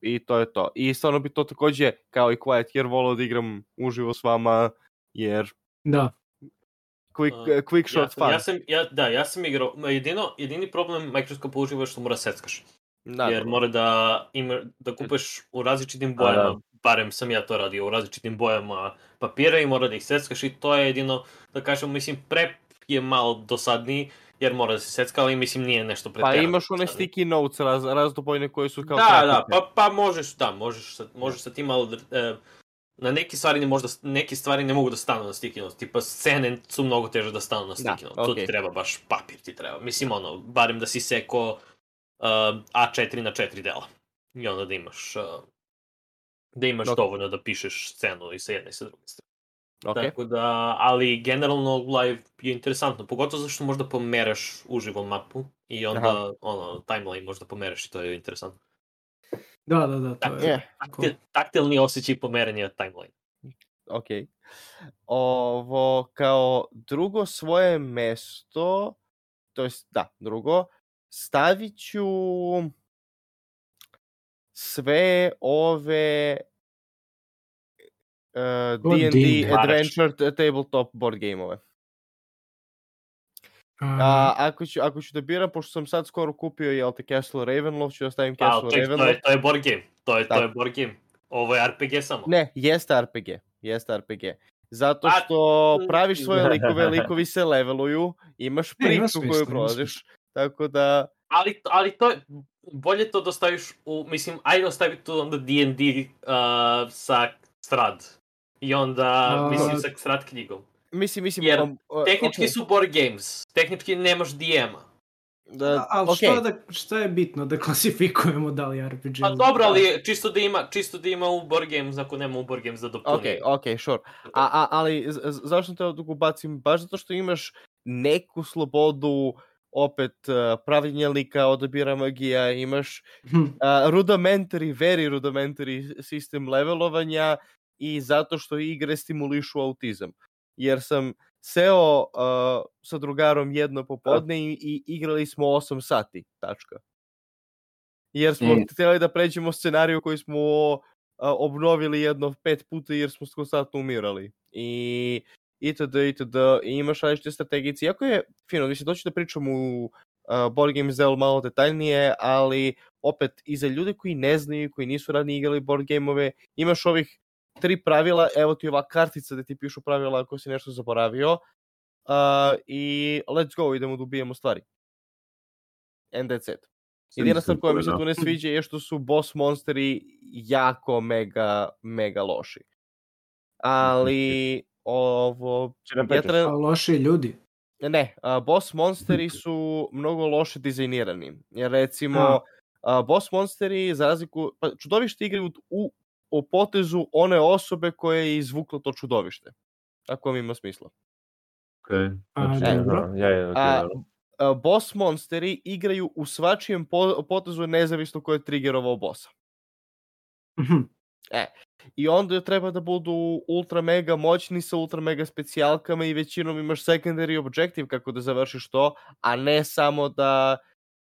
i to je to. I stvarno bi to također, kao i Quiet, jer volio da igram uživo s vama, jer... Da. Quick shot fun. Ja sam igrao, jedini problem Mikroskopa uživo je što mora seckaš. Naravno. Jer mora da kupeš u različitim bojama, barem sam ja to radio, u različitim bojama papira i mora da ih seckaš i to je jedino, da kažem, mislim, prep je malo dosadniji, jer mora da se secka, ali mislim nije nešto pretjerano. Pa imaš one sticky notes razdobojne koje su kao... Da, pa možeš sa tim, ali na neke stvari ne mogu da stanu na sticky notes. Tipa, scene su mnogo teže da stanu na sticky notes. Tu ti treba baš papir, ti treba. Mislim, barem da si seko A4 na 4 dela. I onda da imaš dovoljno da pišeš scenu i sa jedne i sa druge strane. Tako da, ali generalno live je interesantno, pogotovo zašto možda pomeraš uživo mapu i onda timeline možda pomeraš i to je interesantno. Da, to je. Taktilni osjećaj pomeranja timeline. Ok. Ovo, kao drugo svoje mesto, to jest, drugo, stavit ću sve ove D&D Adventure tabletop board game-ove. Ako ću da biram, pošto sam sad skoro kupio Castle Ravenloft, ću da stavim Castle Ravenloft. To je board game. To je board game. Ovo je RPG samo. Ne, jeste RPG. Zato što praviš svoje likove, likovi se leveluju, imaš priču koju prolaziš, tako da... Ali to je, bolje to da staviš mislim, ajde ostavi tu onda D&D sa strad. I onda, mislim, sa strat knjigom. Mislim, jer tehnički su board games, tehnički nemaš DM-a. Ali što je bitno da klasifikujemo da li RPG? Pa dobro, ali čisto da ima u board games, ako nema u board games da dopuni. Ok, sure. Ali zašto te ovdje ubacim? Baš zato što imaš neku slobodu, opet pravljenja lika, odabira magija, imaš very rudimentary sistem levelovanja i zato što igre stimulišu autizam. Jer sam seo sa drugarom jedno popodne i igrali smo 8 sati, tačka. Jer smo htjeli da pređemo scenariju koji smo obnovili jedno 5 puta jer smo konstantno umirali. I itd. I imaš različite strategice. Iako je fino, mislim, doći da pričam u board games delu malo detaljnije, ali opet i za ljude koji ne znaju, koji nisu ranije igrali board gameove, imaš ovih 3 pravila, evo ti ova kartica gde ti pišu pravila ako si nešto zaboravio i let's go, idemo da ubijemo stvari. And that's it. Jedina stvar koja mi se tu ne sviđa je što su boss monsteri jako mega loši. Ali ovo... Loši ljudi? Ne, boss monsteri su mnogo loše dizajnirani. Jer recimo, boss monsteri za razliku... Pa čudovište igraju o potezu one osobe koja je izvukla to čudovište. Ako vam ima smisla. Boss monsteri igraju u svačijem potezu nezavisno ko je triggerovao bossa. I onda treba da budu ultra mega moćni sa ultra mega specijalkama i većinom imaš secondary objective kako da završiš to, a ne samo da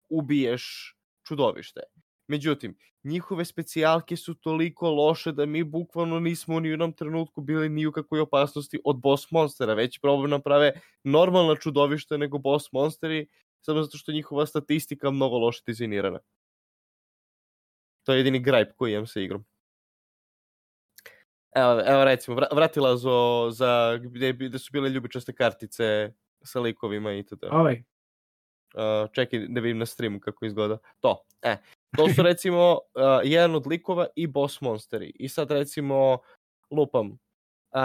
ubiješ čudovište. Međutim, njihove specijalke su toliko loše da mi bukvalno nismo ni u jednom trenutku bili ni u kakvoj opasnosti od boss monstera. Već probam naprave normalna čudovišta nego boss monsteri, samo zato što njihova statistika mnogo loše dizajnirana. To je jedini gripe koji imam sa igrom. Evo recimo, vratila za gde su bile ljubičaste kartice sa likovima i to. Čekaj da vidim na streamu kako izgleda. To su recimo jedan od likova i boss monsteri. I sad recimo lupam.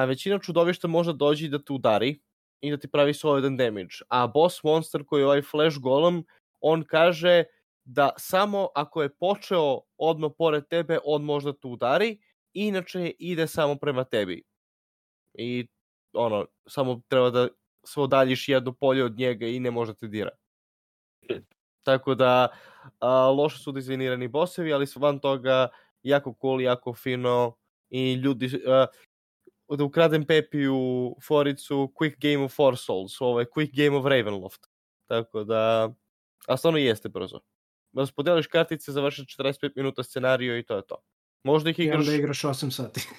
Većina čudovišta može doći da te udari i da ti pravi solidan damage. A boss monster koji je ovaj flash golem, on kaže da samo ako je počeo odmah pored tebe, on možda te udari. Inače ide samo prema tebi. I samo treba da se odaljiš jedno polje od njega i ne može te dira. Tako da loše su dizajnirani bossevi, ali su van toga jako cool, jako fino i ljudi da ukradem Pepiju foricu Quick Game of Four Souls, ovo je Quick Game of Ravenloft. Tako da, a stvarno jeste brzo. Da se podeliš kartice, završiš 45 minuta scenariju i to je to. Možda ih igraš... I onda igraš 8 sati.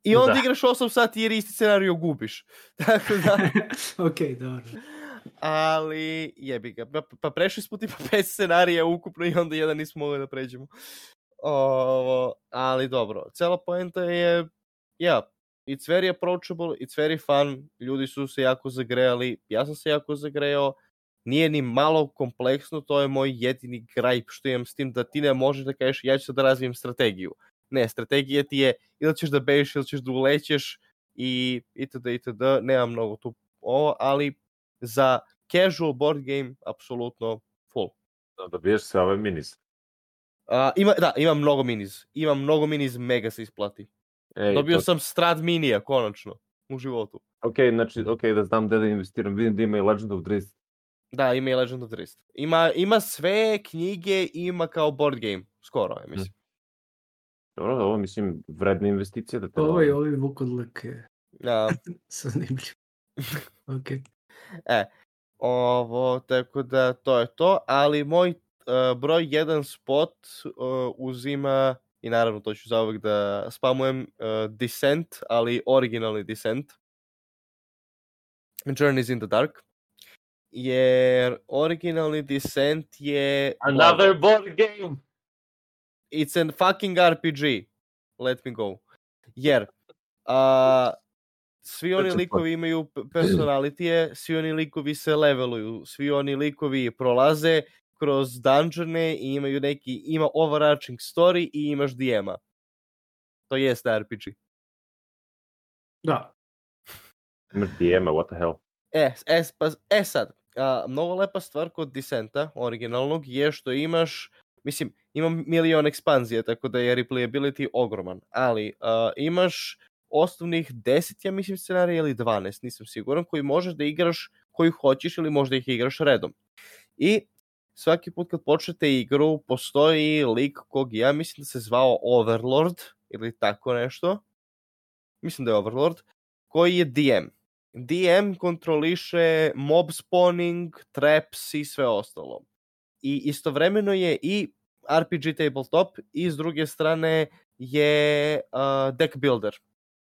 I onda igraš 8 sati jer isti scenariju gubiš. Tako da... Ok, dobro. Ali jebi ga. Pa prešli smo tipa 5 scenarija ukupno i onda jedan nismo mogli da pređemo. Ali dobro. Cela poenta je... it's very approachable, it's very fun. Ljudi su se jako zagrejali. Ja sam se jako zagrejao. Nije ni malo kompleksno. To je moj jedini gripe što imam s tim da ti ne možeš da kažeš ja ću sad da razvijem strategiju. Ne, strategija ti je ili ćeš da bežiš ili ćeš da ulećeš i itd. Nema mnogo tu ovo, ali za casual board game apsolutno full. Da biješ sve ove minis. Ima mnogo minis. Ima mnogo minis, mega se isplati. Dobio sam Strad minija, konačno, u životu. Ok, da znam gde da investiram. Vidim da ima i Legend of Drizzt. Da, ima i Legend of Drizzt. Ima sve knjige, ima kao board game. Skoro, ja mislim. Dobro, ovo mislim vredna investicija da te... Ovi vukodlike. Ja. Zanimljivo. Ok. Ovo, tako da to je to, ali moj broj 1 spot uzima, i naravno to ću zauvek da spamujem, Descent, ali originalni Descent. Journeys in the Dark. Jer originalni Descent je... Another board game! It's a fucking RPG. Let me go. Jer svi oni likovi imaju personalitije, svi oni likovi se leveluju, svi oni likovi prolaze kroz dungeone i ima overarching story i imaš DM-a. To jeste RPG. Da. Imaš DM-a, what the hell? Sad, mnogo lepa stvar kod Descenta, originalnog, je što imaš, mislim, ima milion ekspanzija, tako da je replayability ogroman, ali imaš osnovnih 10, ja mislim, scenarija ili 12, nisam siguran, koji možeš da igraš koju hoćeš ili možda ih igraš redom. I svaki put kad počnete igru, postoji lik kog ja mislim da se zvao Overlord, ili tako nešto, mislim da je Overlord, koji je DM. DM kontroliše mob spawning, traps i sve ostalo. I istovremeno je i RPG tabletop i s druge strane je deck builder.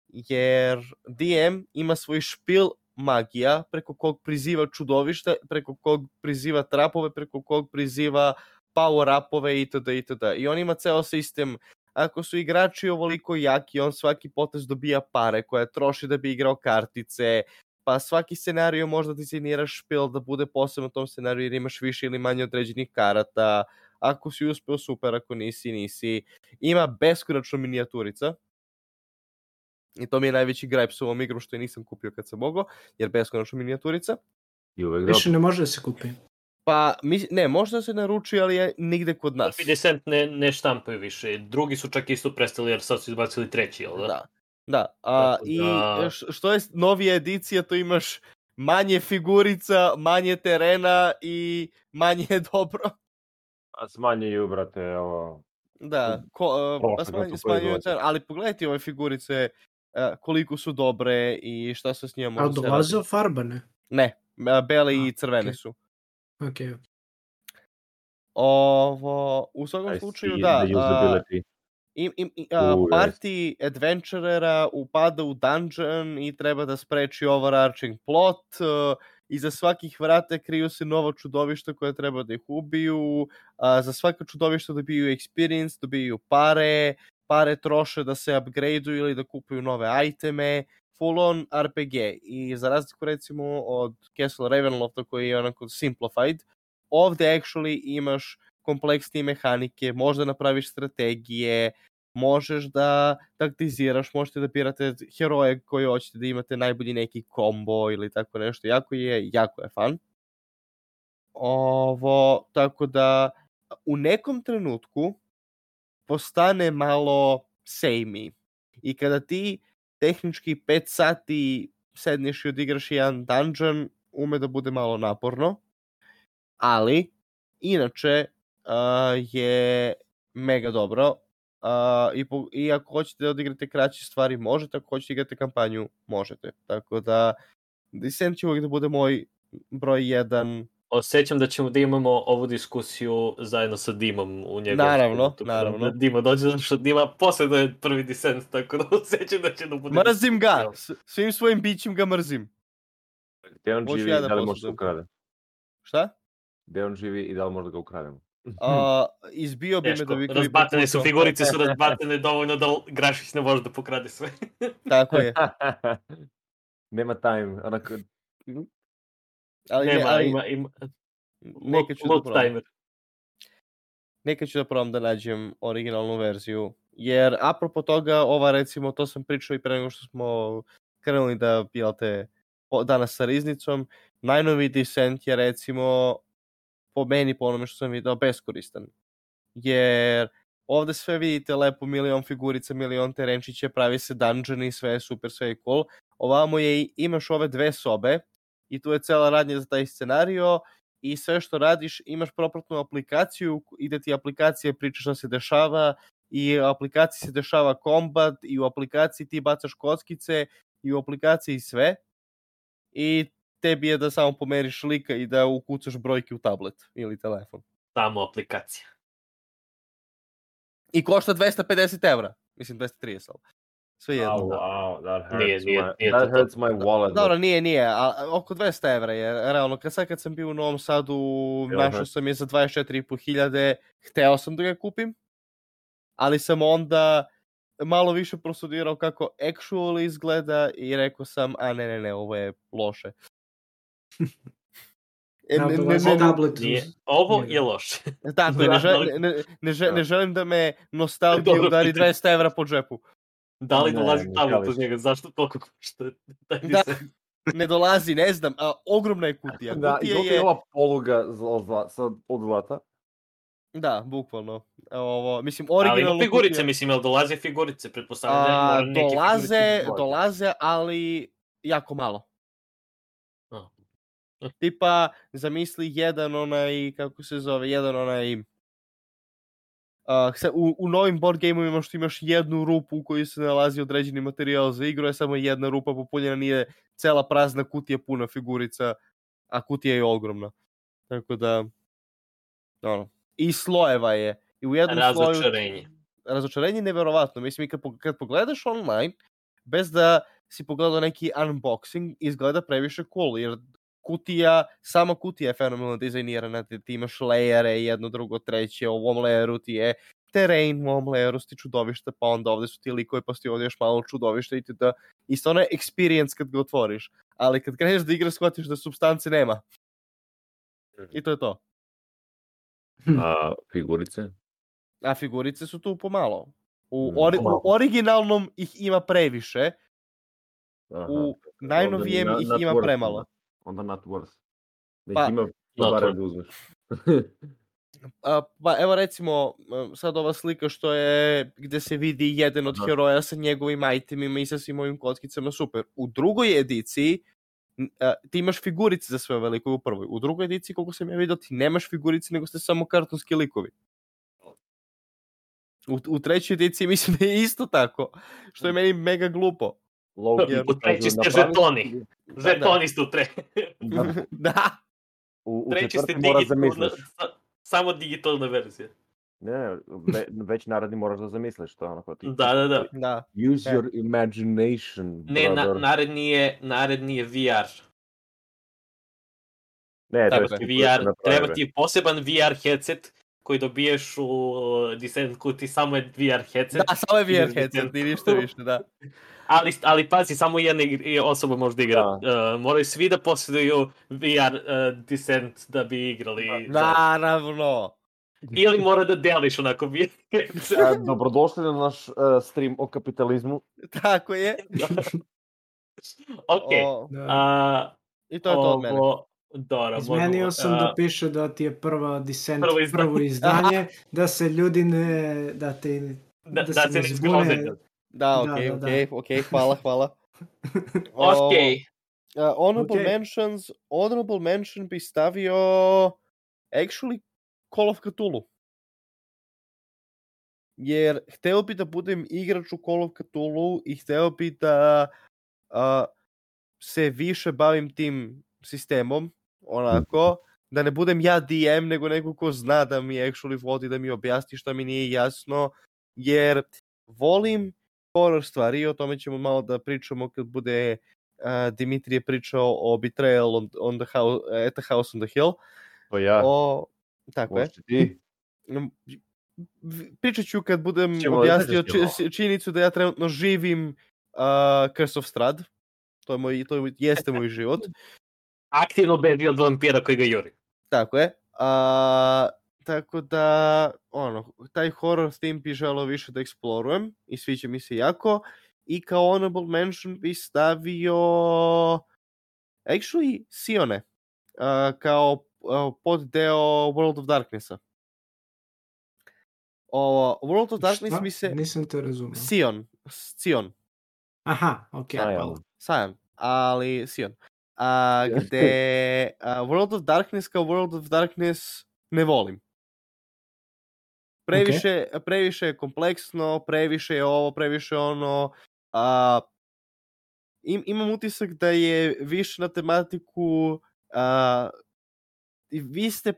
Jer DM ima svoj špil magija preko kog priziva čudovišta, preko kog priziva trapove, preko kog priziva power-upove itd. I on ima ceo sistem. Ako su igrači ovoliko jaki, on svaki potez dobija pare koje troši da bi igrao kartice, pa svaki scenario možda dizajniraš špil da bude posebno u tom scenariju jer imaš više ili manje određenih karata. Ako si uspeo, super, ako nisi. Ima beskonačno minijaturica. I to mi je najveći gripe s ovom igru što je nisam kupio kad sam mogao, jer beskonačno minijaturica. Više ne može da se kupi. Pa, ne, možda se naruči, ali je nigde kod nas. 50 ne štampaju više. Drugi su čak isto prestali, jer sad su izbacili treći, jel da? Da. I što je novija edicija, to imaš manje figurica, manje terena i manje je dobro. A smanjuju, brate, ovo... Da, smanjuju terena, ali pogledajte ove figurice, koliko su dobre i šta se s njima može se raditi. A dolaze farbane? Ne, bele i crvene su. Ok. U svakom slučaju, da, party adventurera upada u dungeon i treba da spreči overarching plot, iza svakih vrata kriju se novo čudovište koje treba da ih ubiju, za svako čudovište dobiju experience, dobiju pare troše da se upgradeuju ili da kupuju nove iteme, full on RPG. I za razliku recimo od Castle Ravenlofta koji je onako simplified, ovde actually imaš kompleksnije mehanike, možda napraviš strategije, možeš da taktiziraš, možete da birate heroje koje hoćete da imate najbolji neki kombo ili tako nešto. Jako je fun. Tako da u nekom trenutku postane malo samey. I kada ti tehnički 5 sati sedneš i odigraš jedan dungeon, ume da bude malo naporno. Ali, inače, je mega dobro. I ako hoćete da odigrate kraće stvari, možete. Ako hoćete igrate kampanju, možete. Tako da, Descent će uvijek da bude moj broj 1. Osjećam da ćemo da imamo ovu diskusiju zajedno sa Dimom u njegovom. Naravno. Dima dođe, zato što Dima posledno je prvi Descent, tako da osjećam da će da bude... Mrzim ga! Svim svojim bićem ga mrzim. Gde on živi i da li može da ukrade? Šta? Gde on živi i da li može da ga ukrademo? Izbio bi me da bi... Razbatene su, figurice su razbatene dovoljno da Grašić ne može da pokrade sve. Tako je. Nema time, onako... Ima load timer. Nekad ću da probam da nađem originalnu verziju, Jer apropo toga, ova recimo, to sam pričao i pre nego što smo krenuli da pilate danas sa riznicom, najnoviji Descent je recimo po meni, po onome što sam vidio, beskoristan. Jer ovde sve vidite lepo, milion figurica, milion terenčića, pravi se dungeoni, sve je super, sve je cool. Ovamo imaš ove 2 sobe i tu je cela radnja za taj scenario i sve što radiš, imaš propratnu aplikaciju i da ti aplikacija priča šta se dešava i u aplikaciji se dešava kombat i u aplikaciji ti bacaš kockice i u aplikaciji sve i tebi je da samo pomeriš lika i da ukucaš brojke u tablet ili telefon. Samo aplikacija. I košta 250 €. Mislim 230, ali sve jedno. Wow, That hurts my wallet. Dobro, nije, a oko 200 € je realno. Kad sam bio u Novom Sadu, našao sam je za 24.500, hteo sam da ga kupim, ali sam onda malo više prostudirao kako actually izgleda i rekao sam, ne, ovo je loše. Ovo je loše. Tako, ne želim da me nostalgija udari 200 € po džepu. Da li dolazi tablet od njega? Zašto toliko košta? Da, ne dolazi, ne znam, a ogromna je kutija. Da, i dok je ova poluga od zlata. Da, bukvalno. Mislim, originalno ali figurice, kutija... mislim, jel dolaze figurice? Pretpostavljam da dolaze, ali jako malo. Tipa, zamisli jedan u novim board game-ovima što imaš jednu rupu u kojoj se nalazi određeni materijal za igru, je samo jedna rupa popunjena, nije cela prazna kutija puna figurica, a kutija je ogromna. Tako da, i slojeva je. I u jednom razočarenje neverovatno. Mislim, kad pogledaš online, bez da si pogledao neki unboxing, izgleda previše cool, jer sama kutija je fenomenalno dizajnirana, ti imaš lejere, jedno, drugo, treće, u ovom lejeru ti je terrain, u ovom lejeru ti čudovište, pa onda ovde su ti likove, pa su ti ovdje još malo čudovište i ti da isto ono je experience kad ga otvoriš, ali kad kreneš da igraš shvatiš da substance nema. I to je to. A figurice? A figurice su tu pomalo. U originalnom ih ima previše, u najnovijem ih ima premalo. Onda not worth. Da ih ima bare da uzmeš. Pa evo recimo, sad ova slika što je gde se vidi jedan od heroja sa njegovim itemima i sa svim ovim kockicama, super. U drugoj ediciji ti imaš figurice za sve ove likove u prvoj. U drugoj ediciji, koliko sam ja vidio, ti nemaš figurice, nego ste samo kartonski likovi. U trećoj ediciji mislim da je isto tako, što je meni mega glupo. U treći ste žetoni. Žetoni ste u treći. Da. U četvrti moraš da misliš. Samo digitalna verzija. Ne, već naredni moraš da zamisliš to onako ti. Da. Use your imagination. Ne, naredni je VR. Ne, treba ti poseban VR headset koji dobiješ u Descent kuti, samo je VR headset. Da, samo je VR headset, ni ništa više, da. Ali pazi, samo jedna osoba može da igra. Moraju svi da posjeduju VR Descent da bi igrali. Naravno. Ili mora da deliš onako VR headset. Dobrodošli na naš stream o kapitalizmu. Tako je. Ok. I to je to od mene. Izmenio sam da piše da ti je prva Descent, prvo izdanje, da se ljudi ne... da se ne zbune. Da, ok, hvala. Ok. Honorable mention bi stavio actually Call of Cthulhu. Jer hteo bi da budem igrač u Call of Cthulhu i hteo bi da se više bavim tim sistemom, onako, da ne budem ja DM, nego neko ko zna da mi actually vodi, da mi objasni šta mi nije jasno, jer volim horror stvari, o tome ćemo malo da pričamo kad bude Dimitrije pričao o Betrayal at the House on the Hill. To ja. Tako je. Pričat ću kad budem objasnio činjenicu da ja trenutno živim Curse of Strahd. To jeste moj život. Aktivno beži od vampira koji ga juri. Tako je. tako da, taj horror theme bi želeo više da eksplorujem i sviđa mi se jako. I kao honorable mention bi stavio actually Sione kao poddeo World of Darknessa. World of Darkness mi se... Nisam te razumio. Sion. Aha, ok. Sion, ali Sion. Gde World of Darkness kao World of Darkness ne volim. Previše je kompleksno, previše je ovo, previše ono. Imam utisak da je više na tematiku vi ste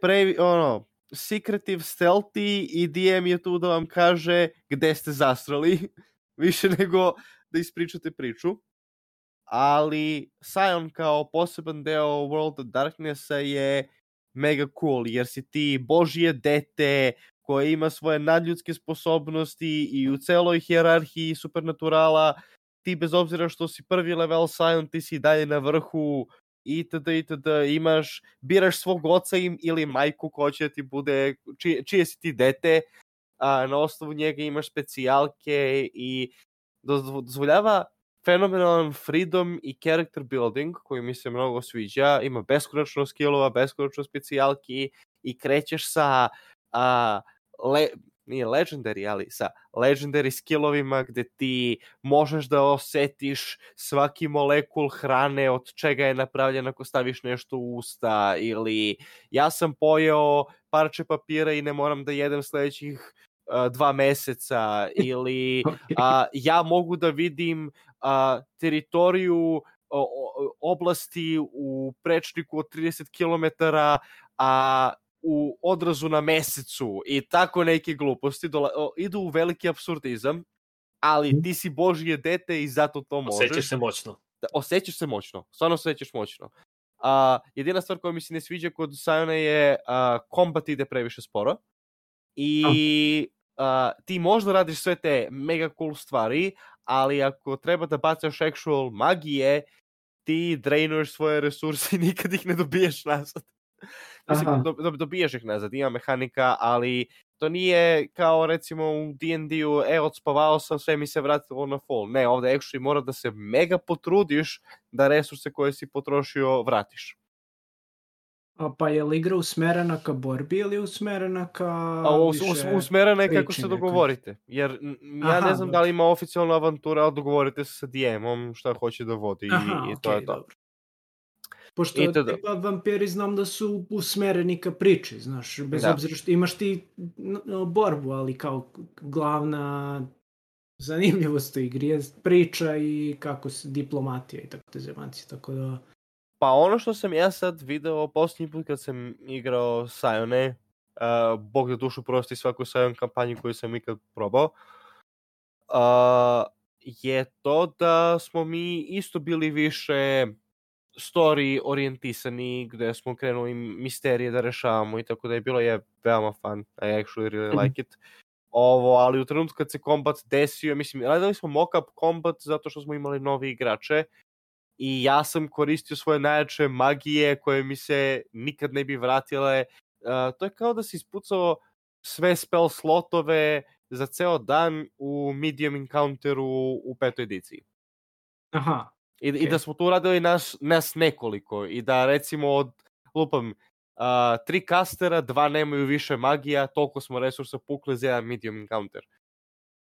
secretive, stealthy i DM je tu da vam kaže gde ste zastrali više nego da ispričate priču. Ali Sion kao poseban deo World of Darknessa je mega cool, jer si ti božje dete koje ima svoje nadljudske sposobnosti i u celoj hijerarhiji supernaturala ti bez obzira što si prvi level Sion, ti si dalje na vrhu itd. Biraš svog oca ili majku ko će ti bude, čije si ti dete, na osnovu njega imaš specijalke i dozvoljava fenomenalan freedom i character building koji mi se mnogo sviđa. Ima beskonačno skillova, beskonačno specijalki i krećeš sa nije legendary, ali sa legendary skillovima gde ti možeš da osetiš svaki molekul hrane od čega je napravljen ako staviš nešto u usta, ili ja sam pojeo parče papira i ne moram da jedem sledećih 2 meseca, ili ja mogu da vidim teritoriju oblasti u prečniku od 30 km u odrazu na mesecu i tako neke gluposti idu u veliki apsurdizam, ali ti si božje dete i zato to možeš. Osjećaš se moćno. Osjećaš se moćno, stvarno se osjećaš moćno. Jedina stvar koja mi se ne sviđa kod Siona je kombat ide previše sporo i ti možda radiš sve te mega cool stvari, ali ako treba da bacaš actual magije, ti drainuješ svoje resurse i nikad ih ne dobiješ nazad. Mislim, dobiješ ih nazad, ima mehanika, ali to nije kao recimo u D&D-u, odspavao sam, sve mi se vratilo na full. Ne, ovde actually mora da se mega potrudiš da resurse koje si potrošio vratiš. Pa je li igra usmerena ka borbi ili usmerena ka usmerena je kako se dogovorite. Jer ja ne znam da li ima oficijalna avantura, ali dogovorite se sa DM-om šta hoće da vodi i to je to. Dobro. Pošto tipa vampiri znam da su usmereni ka priči, znaš, bez obzira što imaš ti borbu, ali kao glavna zanimljivost u igri je priča i kako se diplomatija i tako te zemanci, tako da... Pa ono što sam ja sad video posljednji put kad sam igrao Sione, Bog da dušu prosti svaku Sion kampanju koju sam ikad probao, je to da smo mi isto bili više story orijentisani, gde smo krenuli misterije da rešavamo i tako da je bilo veoma fun. I actually really like it. Ali u trenutku kad se kombat desio, mislim, radili smo mock-up kombat zato što smo imali novi igrače i ja sam koristio svoje najjače magije koje mi se nikad ne bi vratile. To je kao da si ispucao sve spell slotove za ceo dan u medium encounteru u 5. ediciji. Aha. I da smo tu radili nas nekoliko i da recimo od 3 kastera, 2 nemaju više magija, toliko smo resursa pukli za jedan medium encounter.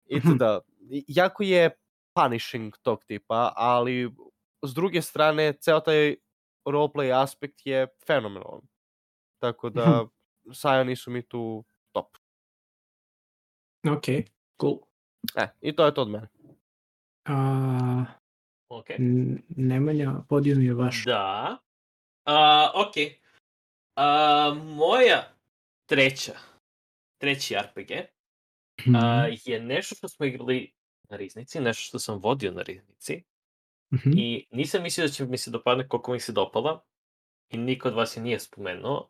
I da, jako je punishing tog tipa, ali s druge strane, ceo taj roleplay aspekt je fenomenalan. Tako da, Sioni su mi tu top. Ok, cool. I to je to od mene. Okay. Nemanja, podijum je vaš. Da. Ok. Moja treći RPG je nešto što smo igrali na Riznici, nešto što sam vodio na Riznici. I nisam mislio da će mi se dopadne koliko mi se dopala. I niko od vas je nije spomenuo.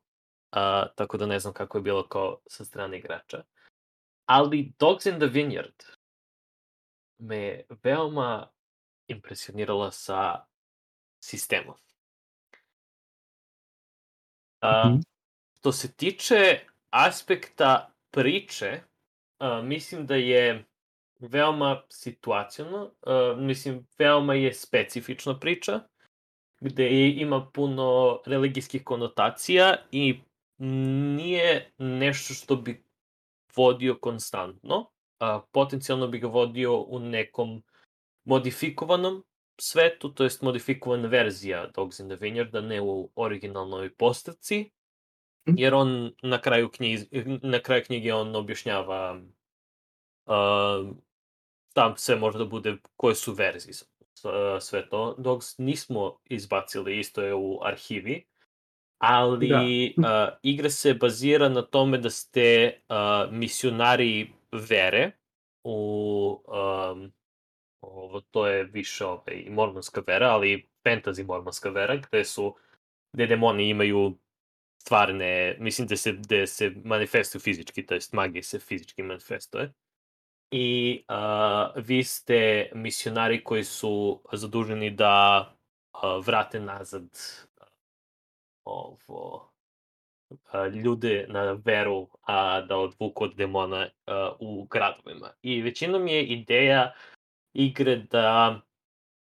Tako da ne znam kako je bilo kao sa strane igrača. Ali Dogs in the Vineyard me veoma impresionirala sa sistemom. Što se tiče aspekta priče, mislim da je veoma situaciono, mislim, veoma je specifična priča, gde ima puno religijskih konotacija i nije nešto što bi vodio konstantno. Potencijalno bi ga vodio u nekom modifikovanom svetu, to jest modifikovana verzija Dogs in the Vineyard, ne u originalnoj postavci, jer on na kraju knjige on objašnjava tam sve može da bude, koje su verzije sve to. Dogs nismo izbacili, isto je u arhivi, ali igra se bazira na tome da ste misionari vere to je više mormonska vera, ali fantasy mormonska vera, gde demoni imaju stvarne, mislim da se manifestuju fizički, to jest magija se fizički manifestuje. I vi ste misionari koji su zaduženi da vrate nazad ljude na veru, a da odvuku od demona u gradovima. I većinom je ideja igre da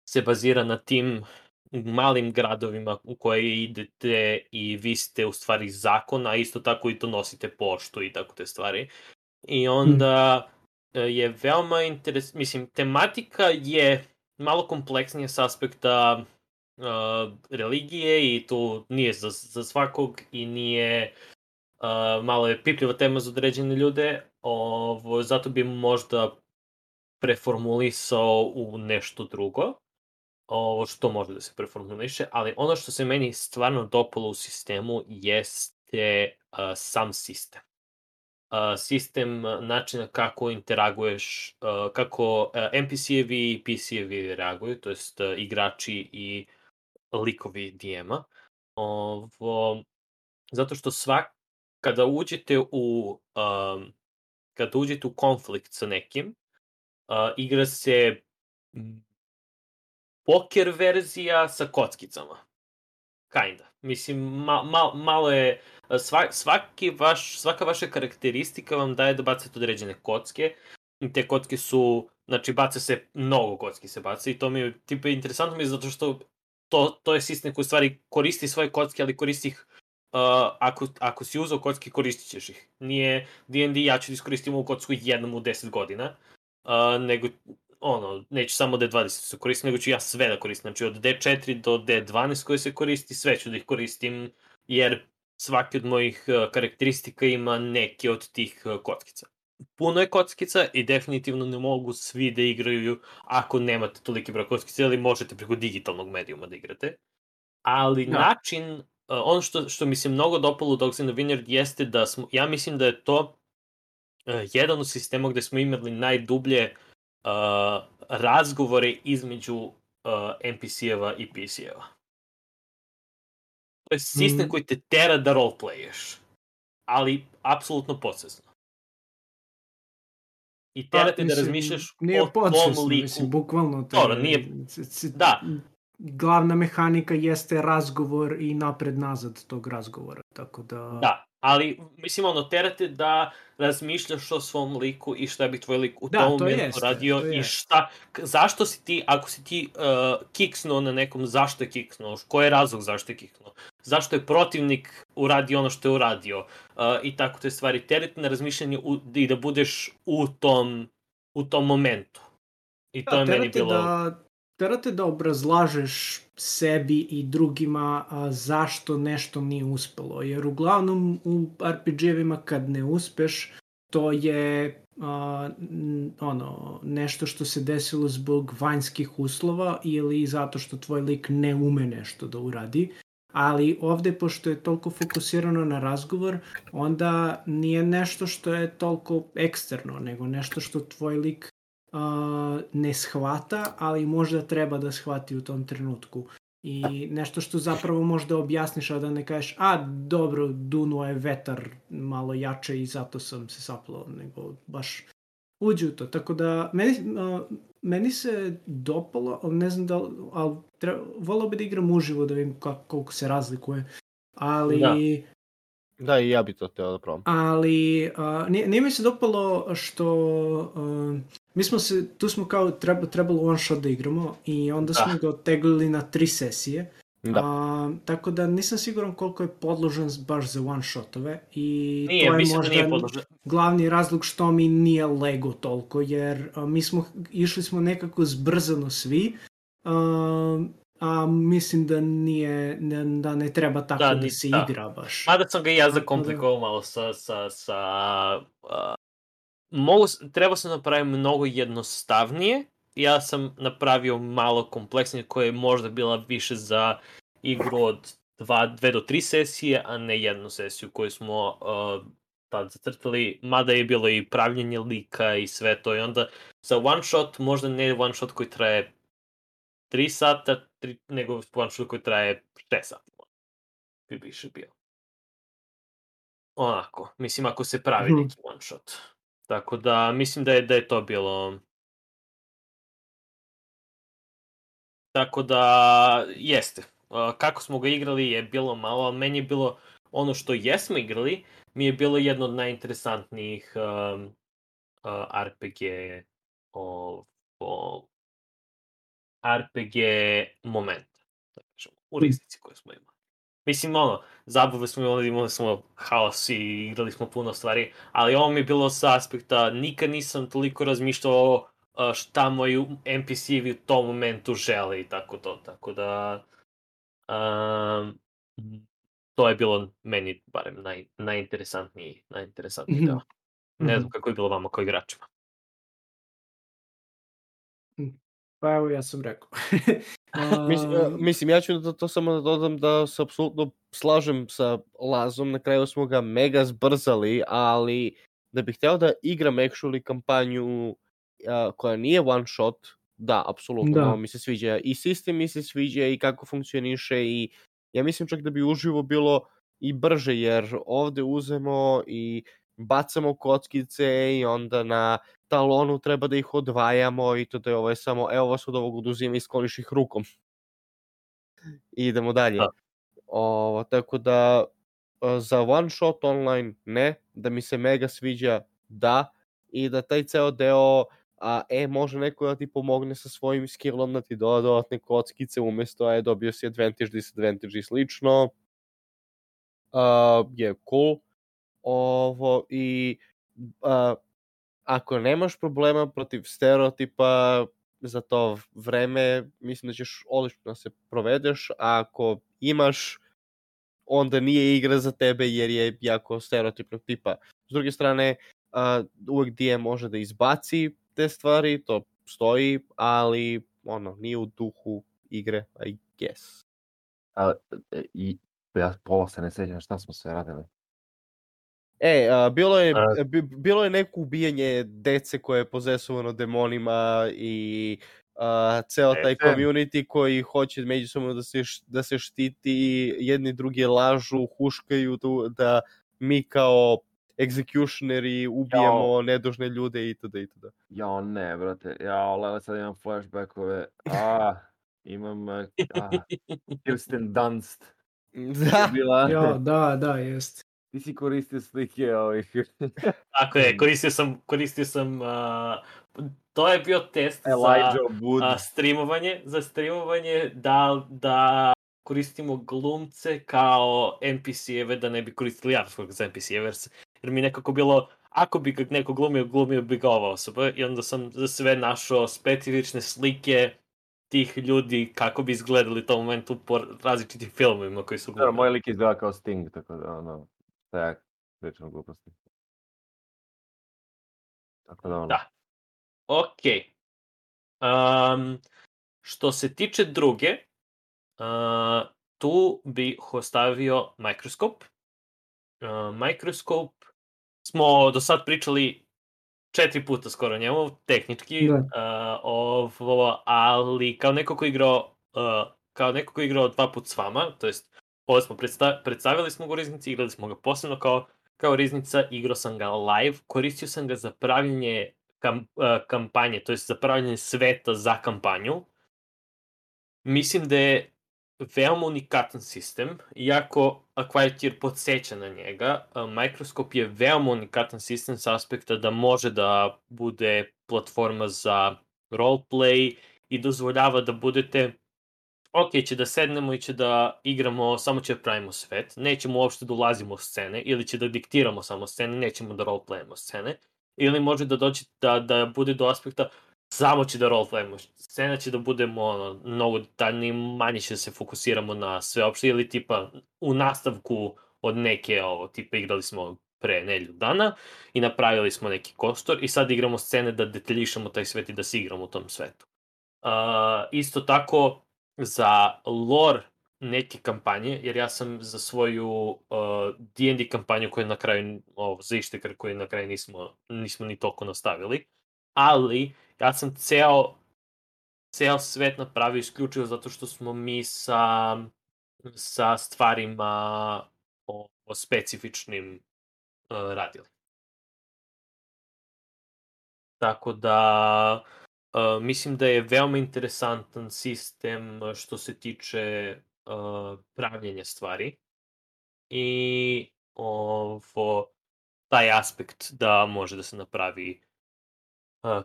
se bazira na tim malim gradovima u koje idete i vi ste u stvari zakon, a isto tako i to nosite poštu i tako te stvari. I onda je veoma mislim, tematika je malo kompleksnija s aspekta religije i tu nije za svakog i nije malo je pipljiva tema za određene ljude, zato bi možda preformulisao u nešto drugo, što može da se preformuliše, ali ono što se meni stvarno dopalo u sistemu jeste sam sistem. Sistem načina kako interaguješ, kako NPC-evi i PC-evi reaguju, to jest igrači i likovi DM-a. Zato što kada uđete u konflikt sa nekim, igra se poker verzija sa kockicama. Kinda. Mislim, malo je... Svaka vaša karakteristika vam daje da bacate određene kocke. I te kocke su... Znači, baca se... Mnogo kocki se baca i to mi je... Interesantno mi je zato što to je sistem koji u stvari koristi svoje kocke, ali koristi ih... Ako si uzao kocke, koristit ćeš ih. Nije D&D, ja ću da iskoristim ovu kocku jednom u 10 godina. Nego... neću samo D20 se koristim, nego ću ja sve da koristim. Znači, od D4 do D12 koje se koristi, sve ću da ih koristim, jer svaki od mojih karakteristika ima neke od tih kockica. Puno je kockica i definitivno ne mogu svi da igraju ako nemate toliki broj kockica, ili možete preko digitalnog medijuma da igrate. Ali način, ono što mi se mnogo dopalo u Dogs in the Vineyard jeste da ja mislim da je to jedan od sistema gde smo imali najdublje razgovore između NPC-eva i PC-eva. To je sistem koji te tera da roleplayeš, ali apsolutno podsvesno. I tera te da razmišljaš o tom liku. Mislim, bukvalno. Da. Glavna mehanika jeste razgovor i napred-nazad tog razgovora, tako da... Da, ali, mislim, terate da razmišljaš o svom liku i šta bi tvoj lik u tom momentu radio i zašto si ti, ako si ti kiksnuo na nekom, zašto je kiksnuo, koji je razlog zašto je kiksnuo, zašto je protivnik uradio ono što je uradio i tako te stvari. Terate na razmišljanje i da budeš u tom momentu. I to je meni bilo... Terate da obrazlažeš sebi i drugima zašto nešto nije uspelo, jer uglavnom u RPG-evima kad ne uspeš, to je nešto što se desilo zbog vanjskih uslova ili zato što tvoj lik ne ume nešto da uradi. Ali ovde, pošto je toliko fokusirano na razgovor, onda nije nešto što je toliko eksterno, nego nešto što tvoj lik ne shvata, ali možda treba da shvati u tom trenutku. I nešto što zapravo možda objasniš, a da ne kažeš, dobro, dunuo je vetar malo jače i zato sam se saplao, nego baš uđi u to. Tako da, meni se dopalo, ali ne znam volao bi da igram uživo da vidim koliko se razlikuje, ali Da, i ja bi to htio da probam. Ali nije mi se dopalo što mi smo tu smo kao trebalo one shot da igramo i onda smo ga oteglili na 3 sesije. Tako da nisam siguran koliko je podložen baš za one shotove i nije, to je možda glavni razlog što mi nije lego toliko, jer išli smo nekako zbrzano svi, a mislim da ne treba tako da se igra baš. Mada sam ga i ja zakomplikovao malo trebao sam napraviti mnogo jednostavnije. Ja sam napravio malo kompleksnije koje je možda bila više za igru od 2 do 3 sesije, a ne jednu sesiju koju smo tad zacrtali, mada je bilo i pravljenje lika i sve to. I onda za one shot, možda ne one shot koji traje 3 sata, nego one shot koji traje 6 sati. Bi više bio. Onako, mislim ako se pravi neki one shot. Tako da, mislim da je to bilo... Tako da, jeste. Kako smo ga igrali je bilo malo, ali meni je bilo ono što jesmo igrali, mi je bilo jedno od najinteresantnijih RPG RPG momenta. U riznici koje smo imali. Mislim, zabave smo imali smo haos i igrali smo puno stvari, ali ovo mi je bilo sa aspekta, nikad nisam toliko razmišljao šta moji NPC-evi u tom momentu žele i tako da to je bilo meni barem najinteresantniji deo. Ne znam kako je bilo vama kao igračima. Pa evo, ja sam rekao. Mislim, ja ću to samo da dodam da se apsolutno slažem sa Lazom, na kraju smo ga mega zbrzali, ali da bih hteo da igram actually kampanju koja nije one shot, da, apsolutno, mi se sviđa i sistem, mi se sviđa i kako funkcioniše i ja mislim čak da bi uživo bilo i brže, jer ovde uzemo i bacamo kockice i onda na talonu treba da ih odvajamo i to da je ovo je samo, evo vas od ovog oduzima i skloniš ih rukom. I idemo dalje. Tako da za one shot online ne, da mi se mega sviđa da, i da taj ceo deo može neko da ti pomogne sa svojim skillom da ti doda dodatne kockice umesto dobio si advantage, disadvantage i slično, je cool. I ako nemaš problema protiv stereotipa za to vreme, mislim da ćeš odlično da se provedeš, a ako imaš, onda nije igra za tebe jer je jako stereotipnog tipa. S druge strane, uvek DM može da izbaci te stvari, to stoji, ali nije u duhu igre, I guess. Ja pola se ne sjećam šta smo sve radili. Bilo je neko ubijanje dece koje je pozesovano demonima i ceo taj community koji hoće međusobno da se štiti, jedni drugi lažu, huškaju da mi kao executioneri ubijamo nedužne ljude itd. Jao ne, brate, sad imam flashbackove, imam Kirsten Dunst. Da, jest. Ti si koristio slike ovih. Tako je, koristio sam to je bio test za streamovanje, da koristimo glumce kao NPC-eve, da ne bi koristili javskog za NPC-eve, jer mi nekako bilo, ako bi ga neko glumio bi ga ova osoba, i onda sam za sve našao specifične slike tih ljudi kako bi izgledali u tom momentu po različitim filmovima koji su glumili. Moj lik izgleda kao Sting, tako da tak, pričam gluposti. Tako da Da. Okej. Što se tiče druge, tu bih ostavio Microscope. Microscope smo do sad pričali 4 puta skoro o njemu, tehnički, ali kao neko ko je igrao 2 puta s vama, to jest ovo smo predstavili smo ga u riznici, igrali smo ga posebno kao riznica, igrao sam ga live, koristio sam ga za pravljenje kampanje, to jest za pravljenje sveta za kampanju. Mislim da je veoma unikatan sistem, iako Acquire podsjeća na njega, Microscope je veoma unikatan sistem s aspekta da može da bude platforma za roleplay i dozvoljava da budete će da sednemo i će da igramo, samo će da pravimo svet, nećemo uopšte da ulazimo u scene, ili će da diktiramo samo scene, nećemo da roleplayamo scene, ili može da doći da bude do aspekta samo će da roleplayamo. Scena će da budemo mnogo detaljniji, manje će da se fokusiramo na sve opšte, ili tipa u nastavku od neke, tipa igrali smo pre nedelju dana i napravili smo neki kostor i sad igramo scene da detaljišemo taj svet i da se igramo u tom svetu. Isto tako, za lore neke kampanje, jer ja sam za svoju D&D kampanju koju na kraju, za Ištekar koju na kraju nismo ni toliko nastavili, ali ja sam ceo svet napravio isključivo zato što smo mi sa stvarima specifičnim radili. Tako da mislim da je veoma interesantan sistem što se tiče pravljenja stvari i taj aspekt da može da se napravi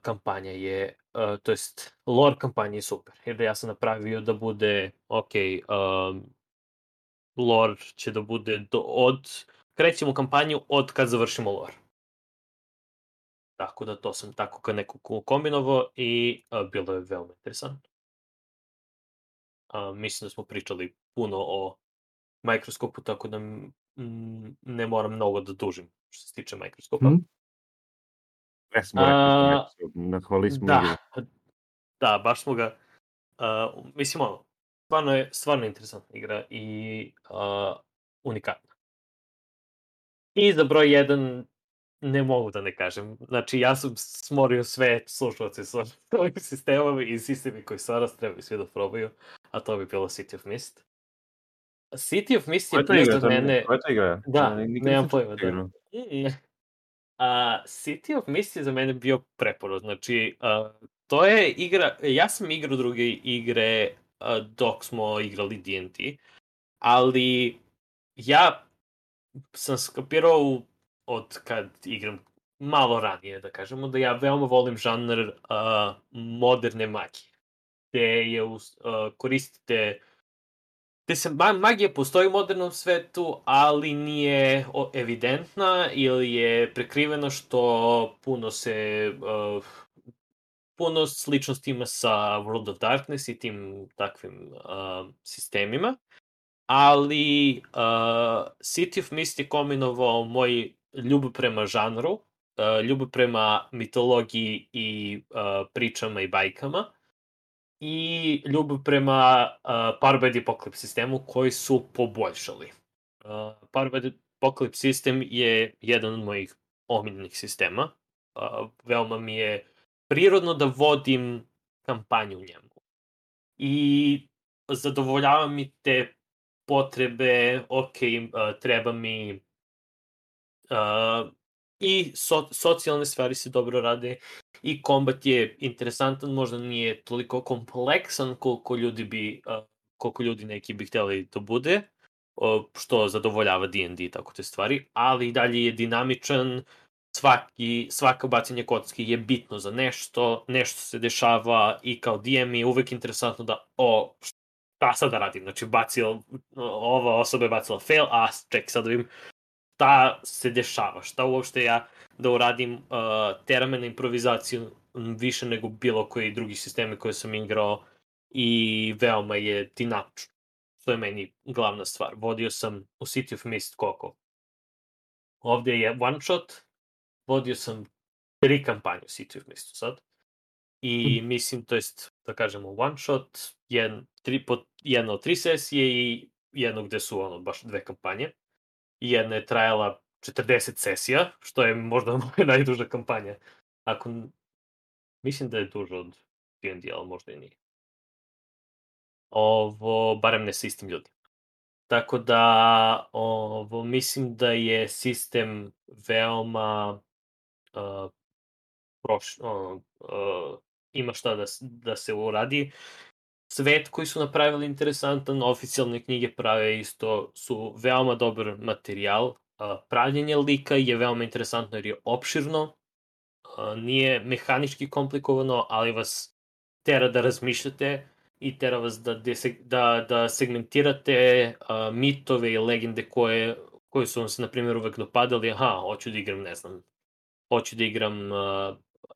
kampanja je, to jest lore kampanja je super, jer ja sam napravio da bude, lore će da bude krećemo kampanju od kad završimo lore. Tako da to sam tako kad neko kombinovao i bilo je veoma interesantno. Mislim da smo pričali puno o Microscope-u, tako da ne moram mnogo da dužim što se tiče Microscope-a. Ne smo rekli Microsoft, nahvali smo igru. Da, baš smo ga, mislim stvarno interesantna igra i unikatna. I za broj 1 ne mogu da ne kažem. Znači, ja sam smorio sve slušalce sa ovim sistemom i sistemi koji stvarno trebaju svi da probaju, a to bi bilo City of Mist. City of Mist je bio za mene... Koja je to igra? Da, nemam pojma, da. City of Mist je za mene bio preporod. Znači, to je igra... Ja sam igrao druge igre dok smo igrali D&D, ali ja sam skapirao od kad igram malo ranije, da kažemo, da ja veoma volim žanr moderne magije. Gde koristite... Gde se magija postoji u modernom svetu, ali nije evidentna ili je prekriveno što puno sličnosti ima sa World of Darkness i tim takvim sistemima. Ali City of Mist je kombinovao moj ljubav prema žanru, ljubav prema mitologiji i pričama i bajkama i ljubav prema Power by the Apocalypse sistemu koji su poboljšali. Power by the Apocalypse sistem je jedan od mojih omiljenih sistema. Veoma mi je prirodno da vodim kampanju u njemu. I zadovoljava mi te potrebe, treba mi i socijalne stvari se dobro rade i kombat je interesantan, možda nije toliko kompleksan koliko ljudi neki bi htjeli da bude, što zadovoljava D&D i tako te stvari, ali i dalje je dinamičan, svaka bacanje kocki je bitno za nešto se dešava i kao DM je uvek interesantno da šta sad da radim, znači ova osoba je bacila fail, ček, sad da vidim šta se dešava, šta uopšte ja da uradim, tera me na improvizaciju više nego bilo koji drugi sistemi koje sam igrao i veoma je dinamično, što je meni glavna stvar. Vodio sam u City of Mist koliko? Ovdje je one shot, vodio sam 3 kampanje u City of Mistu sad. I mislim, to jest, da kažemo, one shot, jedna od 3 sesije i jedno gde su baš 2 kampanje. Jedna je trajala 40 sesija, što je možda moja najduža kampanja. Mislim da je duža od D&D, ali možda i nije. Barem ne sa istim ljudima. Tako da, mislim da je sistem veoma ima šta da se uradi. svet koji su napravili interesantan, oficijalne knjige prave isto, su veoma dobar materijal. Pravljenje lika je veoma interesantno jer je opširno, nije mehanički komplikovano, ali vas tera da razmišljate i tera vas da segmentirate mitove i legende koje su vam se, na primjer, uvek dopadali. Hoću da igram, ne znam, hoću da igram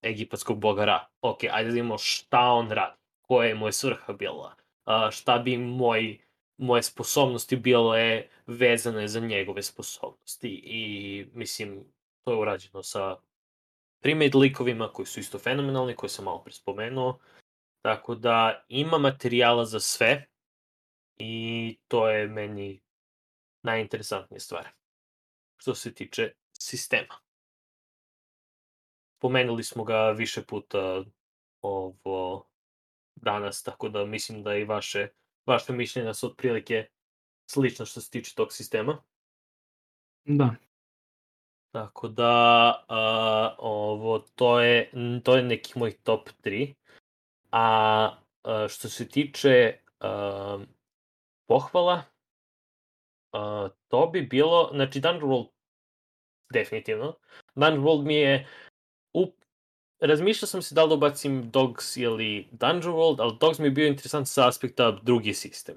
egipatskog boga Ra. Ok, ajde da vidimo šta on radi, koja je moja svrha bila, šta bi moje sposobnosti bile vezane za njegove sposobnosti. I, mislim, to je urađeno sa pre-made likovima koji su isto fenomenalni, koje sam malo pre spomenuo. Tako da ima materijala za sve i to je meni najinteresantnija stvar što se tiče sistema. Pomenuli smo ga više puta danas, tako da mislim da i vaše mišljenja su otprilike slično što se tiče tog sistema. Da. Tako da to je nekih mojih top 3. A što se tiče pohvala, to bi bilo, znači Dungeon World definitivno. Dungeon World mi je razmišljao sam se da li da ubacim Dogs ili Dungeon World, ali Dogs mi je bio interesant sa aspekta drugi sistem.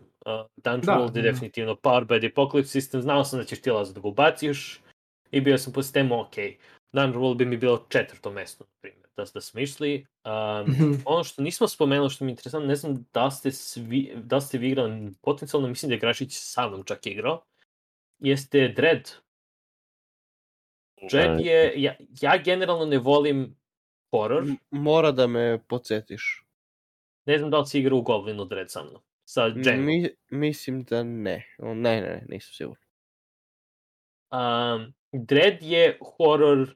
Dungeon World je definitivno Powered by the Apocalypse sistem, znao sam da ćeš ti Lazo da ga ubaciš i bio sam po sistemu, ok, Dungeon World bi mi bilo 4. mesto, na primjer, da smo išli. Ono što nismo spomenuli, što mi je interesantno, ne znam da ste vi igrali potencijalno, mislim da je Grašić sa mnom čak igrao, jeste Dread. Dread je, ja generalno ne volim horor. Mora da me podsjetiš. Ne znam da li si igrao u Goblinu Dread sa mnom. Sa Django. Mislim da ne. Ne, nisam siguran. Dread je horor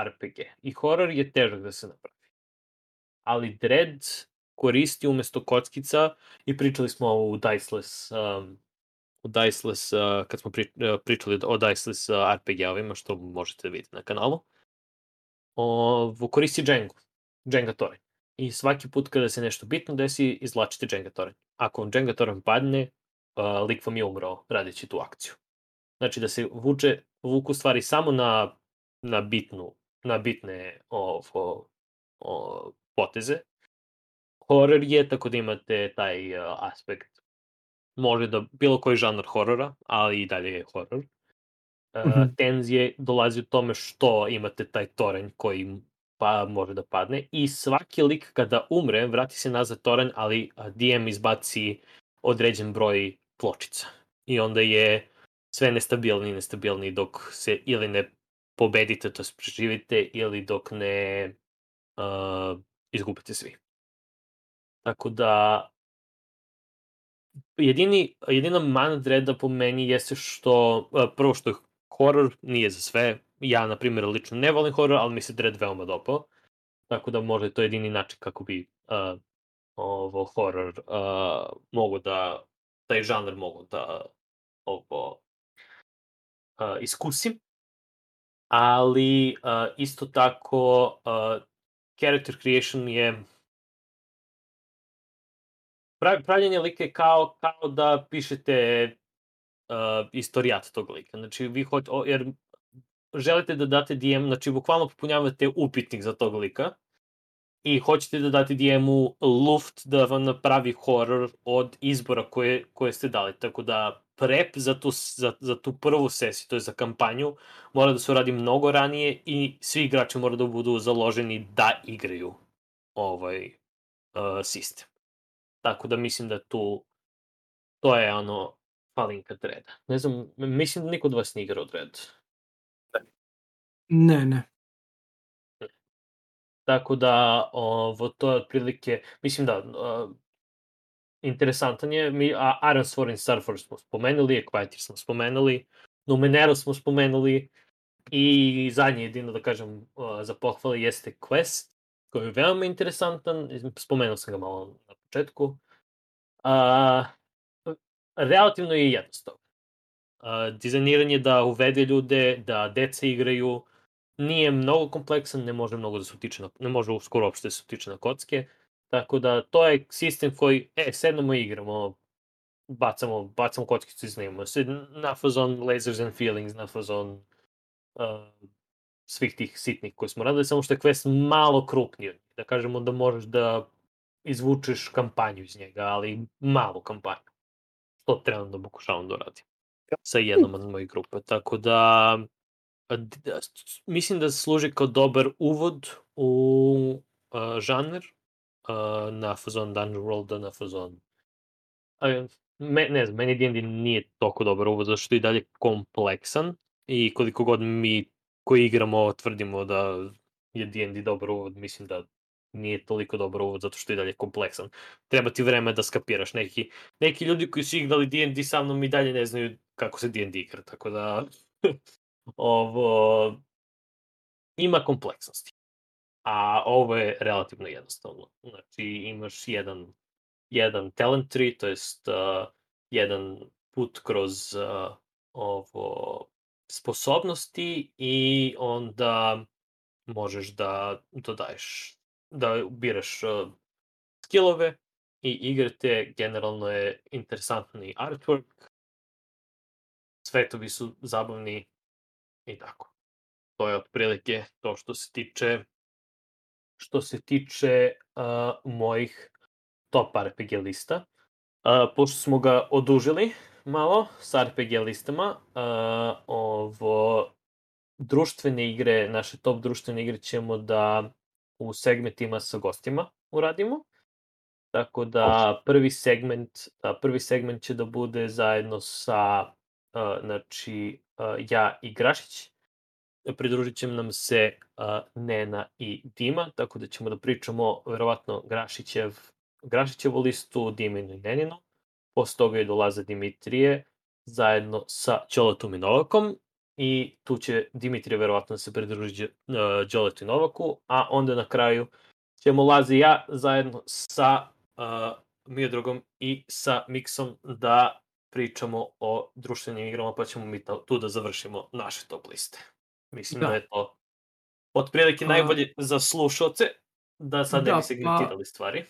RPG. I horor je težak da se napravi. Ali Dread koristi umesto kockica, i pričali smo u Diceless, kad smo pričali o Diceless RPG-ovima, što možete da vidite na kanalu, koristi Jenga toranj. I svaki put kada se nešto bitno desi, izvlačite Jenga toranj. Ako vam Jenga toranj padne, lik vam je umrao radeći tu akciju. Znači da se vuku stvari samo na bitne poteze. Horor je, tako da imate taj aspekt. Može da bilo koji žanr horora, ali i dalje je horor. Tenzije dolazi u tome što imate taj toranj koji može da padne, i svaki lik kada umre vrati se nazad toranj, ali DM izbaci određen broj pločica. I onda je sve nestabilniji dok se ili ne pobedite, to preživite, ili dok ne izgubite svi. Tako da jedina mana Dreada po meni jeste što, prvo što je horor nije za sve. Ja, na primjer, lično ne volim horor, ali mi se Dread veoma dopao. Tako da možda je to jedini način kako bi horor taj žanr mogu da iskusim. Ali isto tako character creation je pravljenje lika je kao da pišete istorijat tog lika. Znači, vi jer želite da date DM, znači, bukvalno popunjavate upitnik za tog lika i hoćete da date DM-u luft da vam napravi horor od izbora koje ste dali. Tako da prep za tu prvu sesiju, to je za kampanju, mora da se uradi mnogo ranije i svi igrači moraju da budu založeni da igraju sistem. Tako da mislim da to je falinka Dreada. Ne znam, mislim da niko od vas nije igrao Dread. Ne. Tako da, to je otprilike, mislim da, interesantan je, Ironsworn i Starforge smo spomenuli, Equator smo spomenuli, Numenera smo spomenuli, i zadnje jedino da kažem za pohvale jeste Quest, koji je veoma interesantan, spomenuo sam ga malo na početku. Relativno je jednostavno. Dizajniranje da uvede ljude, da deca igraju, nije mnogo kompleksan, ne može skoro uopšte da se utiče na kocke, Tako da, to je sistem koji, sednemo i igramo, bacamo kockicu i snimamo se na fazon Lasers and Feelings, na fazon svih tih sitnih koje smo radili, samo što je quest malo krupniji. Da kažemo da možeš da izvučeš kampanju iz njega, ali malu kampanju. To trenutno pokušavam da uradim sa jednom od mojih grupa. Tako da, mislim da služi kao dobar uvod u žanr, na fazon Dungeon World, na fazon... Ne znam, meni D&D nije toliko dobar uvod, zato što je i dalje kompleksan i koliko god mi koji igramo tvrdimo da je D&D dobar uvod, mislim da nije toliko dobar uvod zato što je i dalje kompleksan. Treba ti vreme da skapiraš. Neki ljudi koji su igrali D&D sa mnom i dalje ne znaju kako se D&D igra, tako da ovo ima kompleksnosti. A ovo je relativno jednostavno. Znači imaš jedan talent tree, to jest jedan put kroz sposobnosti i onda možeš da dodaješ, da biraš skillove i igrate. Generalno je interesantni artwork, svetovi su zabavni i tako. To je otprilike to što se tiče mojih top RPG lista. Pošto smo ga odužili malo sa RPG listama, društvene igre, naše top društvene igre ćemo da u segmentima sa gostima uradimo. Tako da prvi segment će da bude zajedno sa ja i Grašić. Pridružit će nam se Nena i Dima, tako da ćemo da pričamo verovatno Grašićevu listu, Diminu i Neninu. Posle toga je dolaze Dimitrije zajedno sa Đoletom i Novakom i tu će Dimitrije verovatno da se pridruži Đoletu i Novaku, a onda na kraju ćemo Lazi i ja zajedno sa Miodragom i sa Miksom da pričamo o društvenim igrama, pa ćemo mi tu da završimo naše top liste. Mislim da je to otprilike najbolje za slušalce, da sad ne bi segmentirali stvari.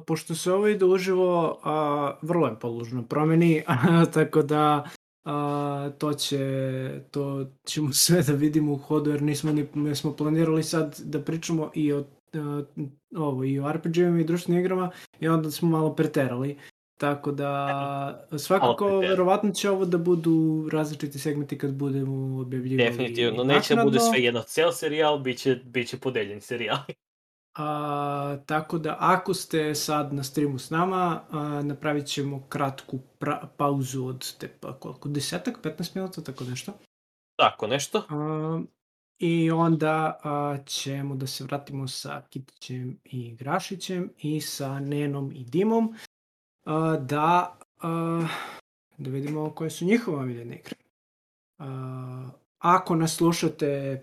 Pošto se ovo ide uživo, vrlo je podložno promeni, tako da to ćemo sve da vidimo u hodu, jer nismo planirali sad da pričamo i o RPG-ima i društvenim igrama i onda smo malo preterali. Tako da, svakako, verovatno će ovo da budu različiti segmenti kad budemo objavljivali. Definitivno, neće da bude sve jedno cel serijal, bit će podeljen serijal. Tako da, ako ste sad na streamu s nama, napravit ćemo kratku pauzu od 10-15 minuta, tako nešto. Tako nešto. I onda ćemo da se vratimo sa Kitićem i Grašićem i sa Nenom i Dimom. Da vidimo koje su njihove omiljene igre. Ako nas slušate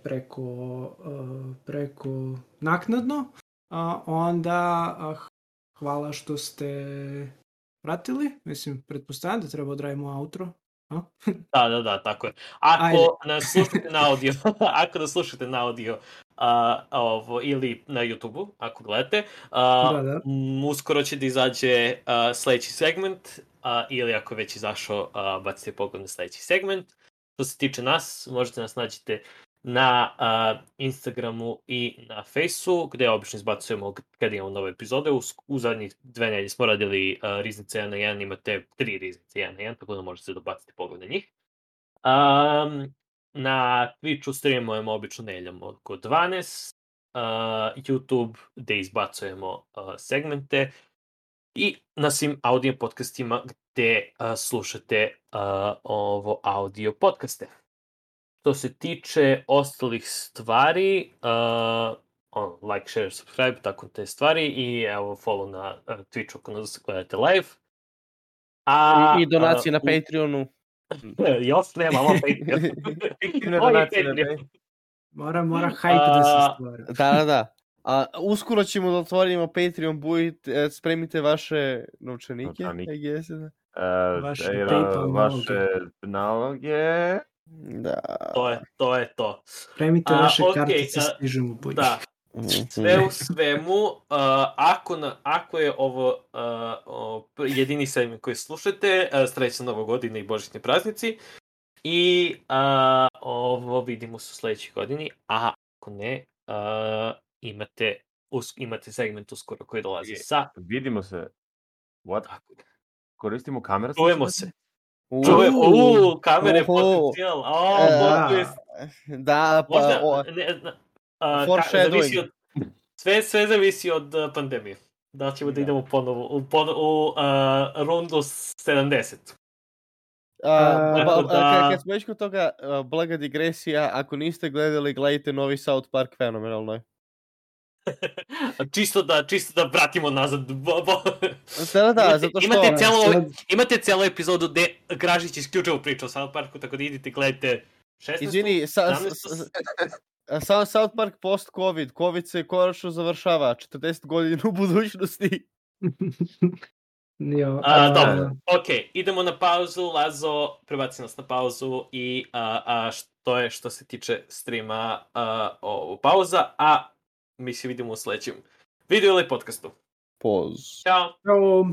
preko naknadno, onda hvala što ste pratili. Mislim, pretpostavljam da treba odradimo outro. Da, tako je. Ako nas slušate na audio, ili na YouTube-u, ako gledate, uskoro će da izađe sledeći segment, ili ako već izašao, bacite pogled na sledeći segment. Što se tiče nas, možete nas nađete na Instagramu i na Faceu, gde obično izbacujemo kada imamo nove epizode. U zadnjih 2 nedelje smo radili Riznice 1 na 1, imate 3 Riznice 1 na 1, tako da možete da bacite pogled na njih. Na Twitchu streamujemo obično nedeljom oko 12, YouTube gde izbacujemo segmente i na svim audio podcastima gde slušate audio podcaste. Što se tiče ostalih stvari, like, share, subscribe, tako te stvari i evo follow na Twitchu ako nas gledate live. I donacije na Patreonu. Još nemamo Patreon. Mora hype da se stvara. Da. Uskoro ćemo da otvorimo Patreon, spremite vaše novčanike. Vaše naloge. Da. To je to. Spremite vaše kartice, stižemo bolje. Da, Sve u svemu, ako je ovo jedini segment koji slušate, srećna Nova godina i božićni praznici. I ovo vidimo se u sledećoj godini, a ako ne, imate segment uskoro koji dolazi sa... Vidimo se. What? Koristimo kamere? Čujemo se. Kamere potencijal. Da, pa... Foreshadowing. Sve zavisi od pandemije. Da ćemo da idemo ponovo u rundu 70. Kad smo već kod toga, blaga digresija, ako niste gledali, gledajte novi South Park, fenomenalno je. Čisto da vratimo nazad. Da, zato što... Imate cijelu epizodu gde Gražić isključivo priča o South Parku, tako da idite, gledajte 16. Izvini, South Park post-Covid. Covid se konačno završava. 40 godina u budućnosti. Dobro, okej, idemo na pauzu. Lazo, prebaci nas na pauzu i što je što se tiče streama pauza, a mi se vidimo u sledećem videu ili podcastu. Poz. Ćao. Ćao.